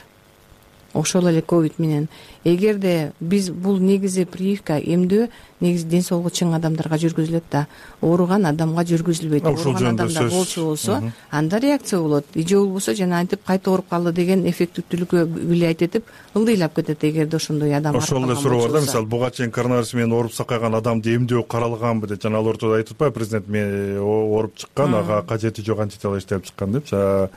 ошол эле ковид менен. Эгерде биз бул негизи прививка, эмдөө негизи ден соолугу чың адамдарга жүргүзүлөт да, ооруган адамга жүргүзүлбөйт. Ооруган адамда болчу болсо анда реакция болот, же болбосо жана антип кайта ооруп калды деген эффективдүүлүккө билет этип ылдыйлап кетет. Эгерде ошондой адам ошол эле суроо бар да, мисалы буга чейин коронавирус менен ооруп сакайган адамды эмдөө каралганбы деп, жана ал ортодо айтып атпайбы президент, мен ооруп чыккан, ага кажети жок антитела иштеп чыккан деп.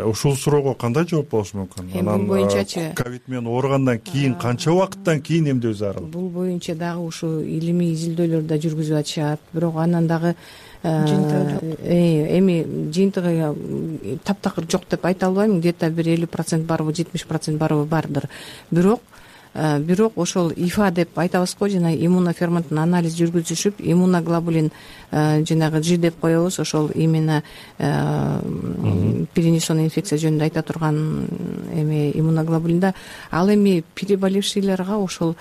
Ушул суроого кандай жооп болуш мүмкүн? Анан бул боюнчачы ковид менен ооругандан кийин канча убакыттан кийин эмдөө зарыл? Бул боюнча дагы ушу илимий изилдөөлөр да жүргүзүп атышат, бирок анан дагы эми жыйынтыгы таптакыр жок деп айта албайм, где-то бир элүү процент барбы, жетимиш процент барбы бардыр. Бирок бирок ошол ифа деп айтабыз го, жана иммуноферменттин анализ жүргүзүшүп, иммуноглобулин жанагы G деп коебуз, ошол именно перенесенный инфекция жөнүндө айта турган эми иммуноглобулинда, ал эми переболевшийлерге ошол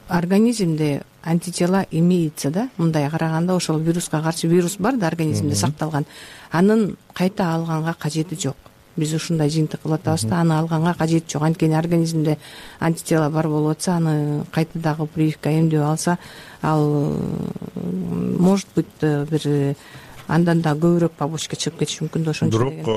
организмде антитела имеется да, мындай караганда ошол вируска каршы вирус бар да организмде сакталган, анын кайта алганга кажети жок. Биз ушундай жыйынтык кылып атабыз да, аны алганга кажети жок. Анткени организмде антитела бар болуп атса, аны кайта дагы прививка эмдөө алса, ал может быть бир андан да көбүрөөк побочка чыгып кетиши мүмкүн да. Ошончо бирок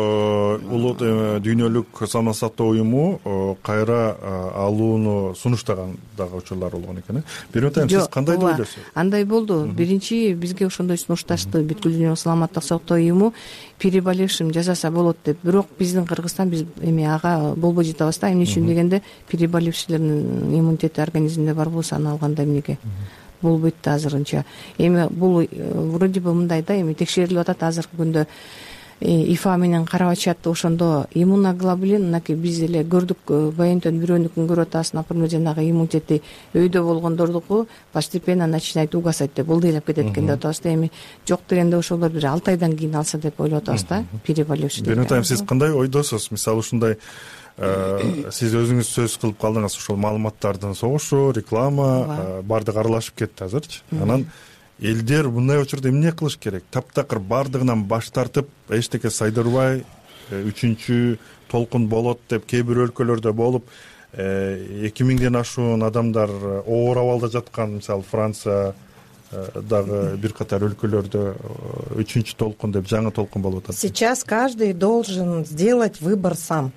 улуу дүйнөлүк саламат сактоо уюму кайра алууну сунуштаган дагы учурлар болгон экен. Бирок сиз кандай деп ойлойсуз? Андай болду. Биринчи бизге ошондой сунушташты бүткүл дүйнөлүк саламаттык сактоо уюму, переболевшим жасаса болот деп. Бирок биздин Кыргызстан биз эми ага болбой жатабыз да. Эмне үчүн дегенде, переболевшилердин иммунитети организмде бар болсо аны алганда эмнеге болбойт да азырынча. Эми бул вроде бы мындай да, эми текшерилип атат азыркы күндө, ифа менен карап атышат. Ошондо иммуноглобулин, мынакей биз эле көрдүк, баянтөн бирөөнүкүн көрүп атабыз, например, жанагы иммунитети өйдө болгондордуку постепенно начинает угасать деп, ылдыйлап кетет экен деп атабыз да. Эми жок дегенде ошолор бир алты айдан кийин алса деп ойлоп атабыз да, переболевшилер. Биринтайм сиз кандай ойдосуз? Мисалы ушундай сиз өзүңүз сөз кылып калдыңыз, ошол маалыматтардын согушу, реклама баардыгы аралашып кетти азырчы. Анан элдер мындай учурда эмне кылыш керек? Таптакыр баардыгынан баш тартып, эчтеке сайдырбай, үчүнчү толкун болот деп кээ бир өлкөлөрдө болуп, эки миңден ашуун адамдар оор абалда жаткан, мисалы Франция дагы бир катар өлкөлөрдө үчүнчү толкун деп, жаңы толкун болуп атат. Сейчас каждый должен сделать выбор сам.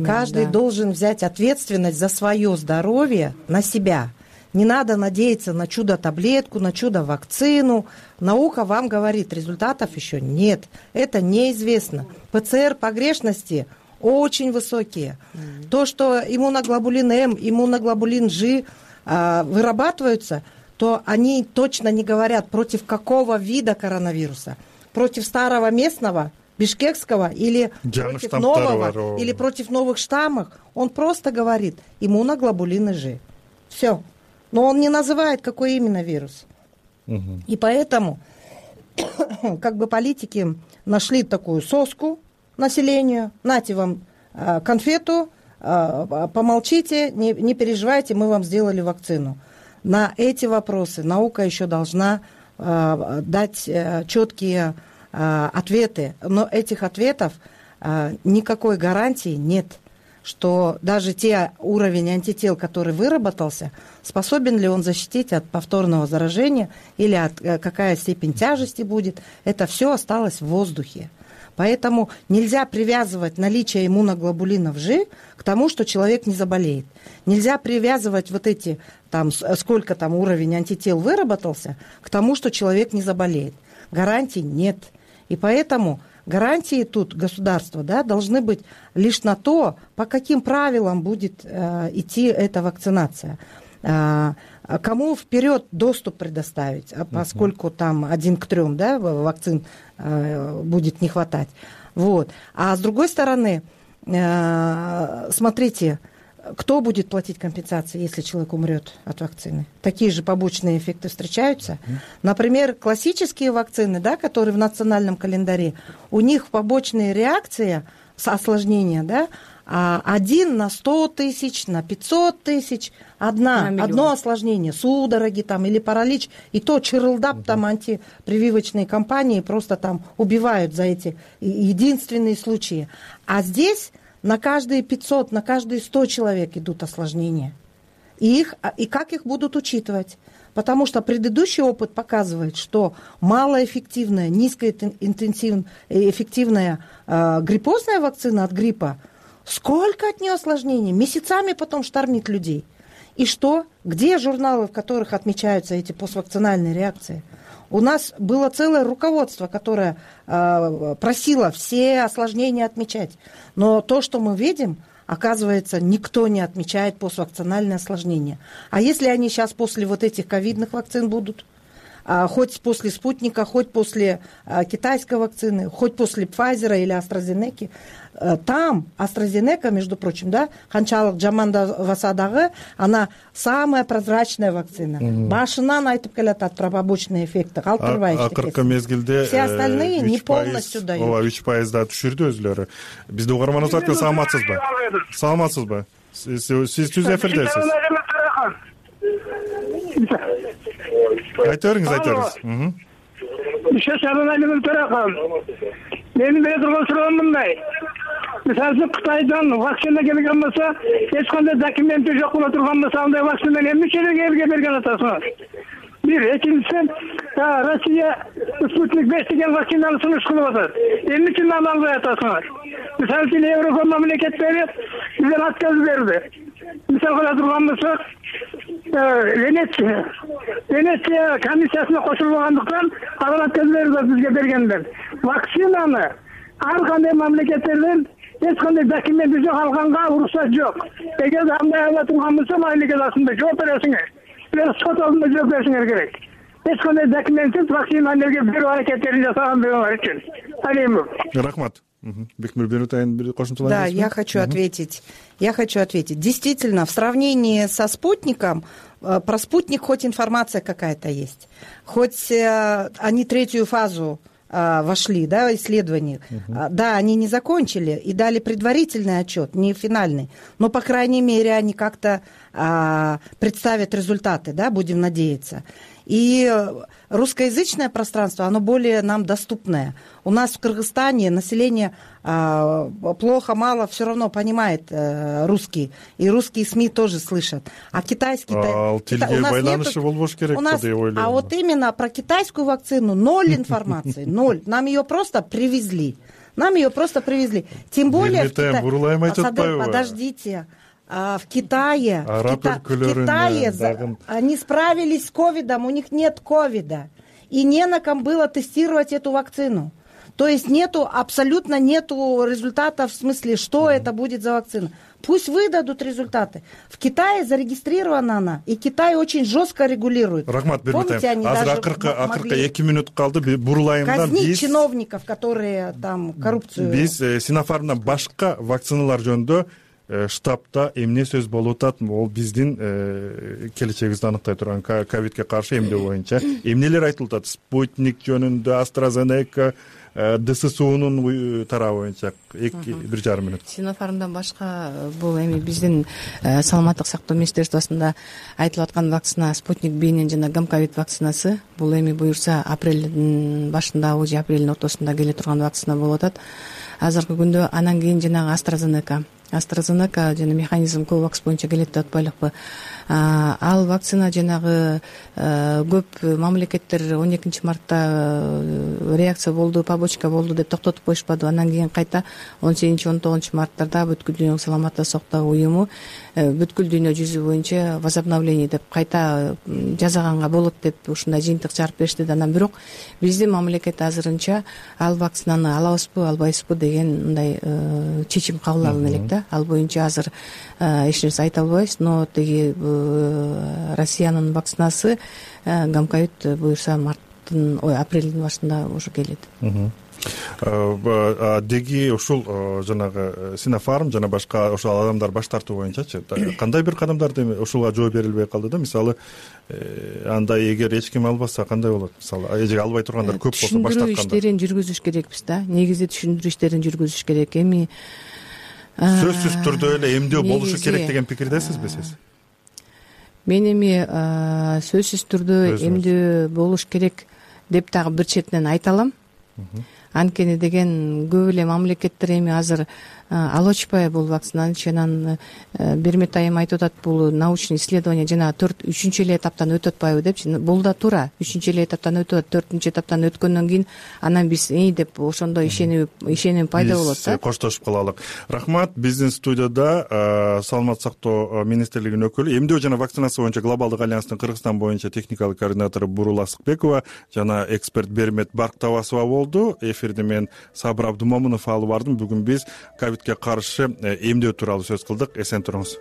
Каждый да. должен взять ответственность за свое здоровье на себя. Не надо надеяться на чудо-таблетку, на чудо-вакцину. Наука вам говорит, результатов еще нет. Это неизвестно. ПЦР погрешности очень высокие. Mm-hmm. То, что иммуноглобулин М, иммуноглобулин G э, вырабатываются, то они точно не говорят, против какого вида коронавируса. Против старого местного, бишкекского или против нового, или против новых штаммов. Он просто говорит иммуноглобулин G. Все. Но он не называет, какой именно вирус. Угу. И поэтому как бы политики нашли такую соску населению. Нате вам э, конфету, э, помолчите, не, не переживайте, мы вам сделали вакцину. На эти вопросы наука еще должна э, дать э, четкие э, ответы. Но этих ответов э, никакой гарантии нет, что даже те уровень антител, который выработался, способен ли он защитить от повторного заражения или от, какая степень тяжести будет, это все осталось в воздухе. Поэтому нельзя привязывать наличие иммуноглобулинов G к тому, что человек не заболеет. Нельзя привязывать вот эти, там, сколько там уровень антител выработался, к тому, что человек не заболеет. Гарантий нет. И поэтому гарантии тут государства, да, должны быть лишь на то, по каким правилам будет э, идти эта вакцинация. Э, кому вперед доступ предоставить, поскольку там один к трем, да, вакцин э, будет не хватать. Вот. А с другой стороны, э, смотрите, кто будет платить компенсации, если человек умрет от вакцины? Такие же побочные эффекты встречаются. Например, классические вакцины, да, которые в национальном календаре, у них побочные реакции осложнения, да, один на сто тысяч, на пятьсот тысяч, одна, одно осложнение, судороги там или паралич, и то чырылдап там антипрививочные компании просто там убивают за эти единственные случаи. А здесь на каждые пятьсот, на каждые сто человек идут осложнения. И, их, и как их будут учитывать? Потому что предыдущий опыт показывает, что малоэффективная, низкоинтенсивная э, гриппозная вакцина от гриппа, сколько от нее осложнений? Месяцами потом штормит людей. И что? Где журналы, в которых отмечаются эти поствакцинальные реакции? У нас было целое руководство, которое э, просило все осложнения отмечать. Но то, что мы видим, оказывается, никто не отмечает поствакцинальные осложнения. А если они сейчас после вот этих ковидных вакцин будут? А, хоть после спутника, хоть после а, китайской вакцины, хоть после Pfizer или AstraZeneca. А, там AstraZeneca, между прочим, да, канчалык жамандабаса дагы, она самая прозрачная вакцина. Mm-hmm. Башынан айтып келатат про побочные эффекты. Калтырбай акыркы мезгилде все остальные не полностью дают. Ооба, үч пайызда түшүрдү өзүлөрү. Бизди угарманыбыз аркылуу саламатсызбы? Саламатсызбы? Сиз түз эфирдесиз. Айта бериңиз, айта бериңиз. Менин бере турган суроом мындай. Мисалы үчүн Кытайдан вакцина келген болсо, эч кандай документи жок боло турган болсо, андай вакцинаны эмнече элге берген атасыңар? Бир, экинчиси, Россия Спутник беш деген вакцинаны сунуш кылып атат. Эмнече аны албай атасыңар? Мисалы үчүн Европа мамлекеттери бизден отказ берди. Мисалы кыла турган болсо, Венеция, Венеция комиссиясына кошулбагандыктан алар отказ берди бизге бергендер. Вакцинаны ар кандай мамлекеттерден эч кандай документи жок, алганга уруксат жок. Эгер андай ала турган болсо, мамлекет астында жооп бересиңер. Сот алдында жооп беришиңер керек. Эч кандай документсиз вакцинаны берүү аракеттерин жасаган бирөө үчүн. Алимов. Рахмат. Бекмир Бенутайын бир кошумчалаңыз. Да, я хочу ответить. Я хочу ответить. Действительно, в сравнении со спутником, про спутник хоть информация какая-то есть, хоть они третью фазу вошли, да, исследований. Uh-huh. Да, они не закончили и дали предварительный отчет, не финальный, но, по крайней мере, они как-то а, представят результаты, да, будем надеяться. И русскоязычное пространство, оно более нам доступное. У нас в Кыргызстане население а, плохо, мало, все равно понимает а, русский, и русские СМИ тоже слышат. А китайский... А, Кита... у нас нету... у нас... А вот именно про китайскую вакцину ноль информации, ноль. Нам ее просто привезли. Нам ее просто привезли. Тем более... В Кита... Подождите. А в Китае, в, Кита... в Китае за... они справились с ковидом, у них нет ковида. И не на ком было тестировать эту вакцину. То есть нету, абсолютно нету результатов в смысле, что это будет за вакцина. Пусть выдадут результаты. В Китае зарегистрирована она, и Китай очень жестко регулирует. Рахмат, помните, они даже могли казнить чиновников, которые там коррупцию... Биз Синофармдан башка вакциналар жөнүндө штабта эмне сөз болуп атат, ол биздин келечегибизди аныктай турган ковидке каршы эмдөө боюнча эмнелер айтылып атат? Спутник жөнүндө, AstraZeneca, ДССУнун тарабы боюнча эки бир жарым мүнөт. Синофармдан башка бул эми биздин саламаттык сактоо министерствосунда айтылып аткан вакцина Спутник Б жана Гамковид вакцинасы. Бул эми буюрса апрелдин башында же апрелдин ортосунда келе турган вакцина болуп атат. Азыркы күндө анан кийин жанагы AstraZeneca AstraZeneca жана механизм Covax боюнча келет деп атпайлыкпы. Ал вакцина жанагы көп мамлекеттер он экинчи мартта реакция болду, побочка болду деп токтотуп коюшпады. Анан кийин кайта он сегизинчи он тогузунчу марттарда бүткүл дүйнөлүк саламаттык сактоо уюму бүткүл дүйнө жүзү боюнча возобновление деп кайта жасаганга болот деп ушундай жыйынтык чыгарып беришти. Анан бирок биздин мамлекет азырынча ал вакцинаны алабызбы, албайбызбы деген мындай чечим кабыл алына элек да. Ал боюнча азыр эч нерсе айта албайбыз, но тиги Россиянын вакцинасы Гамковид буюрса марттын, ой, апрелдин башында уже келет. деги ушул жанагы Синофарм жана башка ошол адамдар баш тартуу боюнчачы кандай бир кадамдарды ушуга жооп берилбей калды да? Мисалы андай эгер эч ким албаса кандай болот? Мисалы эже албай тургандар көп болсо баш тарткандар. Түшүндүрүү иштерин жүргүзүш керекпиз да. Негизи түшүндүрүү иштерин жүргүзүш керек. Эми сөзсүз түрдө эле эмдөө болушу керек деген пикирдесизби сиз? Мен эми сөзсүз түрдө эмдөө болуш керек деп дагы бир четинен айта алам. Анткени деген көп эле мамлекеттер эми азыр алып ачпай бул вакцинаны. Анан Бермет айым айтып атат, бул научный исследование жана төрт үчүнчү эле этаптан өтүп атпайбы депчи. Бул да туура. Үчүнчү эле этаптан өтүп атат. Төртүнчү этаптан өткөндөн кийин анан биз эй деп ошондо ишенип ишеним пайда болот да. Биз коштошуп калалык. Рахмат. Биздин студияда Саламаттык сактоо министрлигинин өкүлү, эмдөө жана вакцинация боюнча глобалдык альянстын Кыргызстан боюнча техникалык координатору Бурул Асыкбекова жана эксперт Бермет Барктабасова болду. Эфирди мен Сабыр Абдумомунов алып бардым. Бүгүн биз ковидке каршы эмдөө тууралуу сөз кылдык. Эсен туруңуз.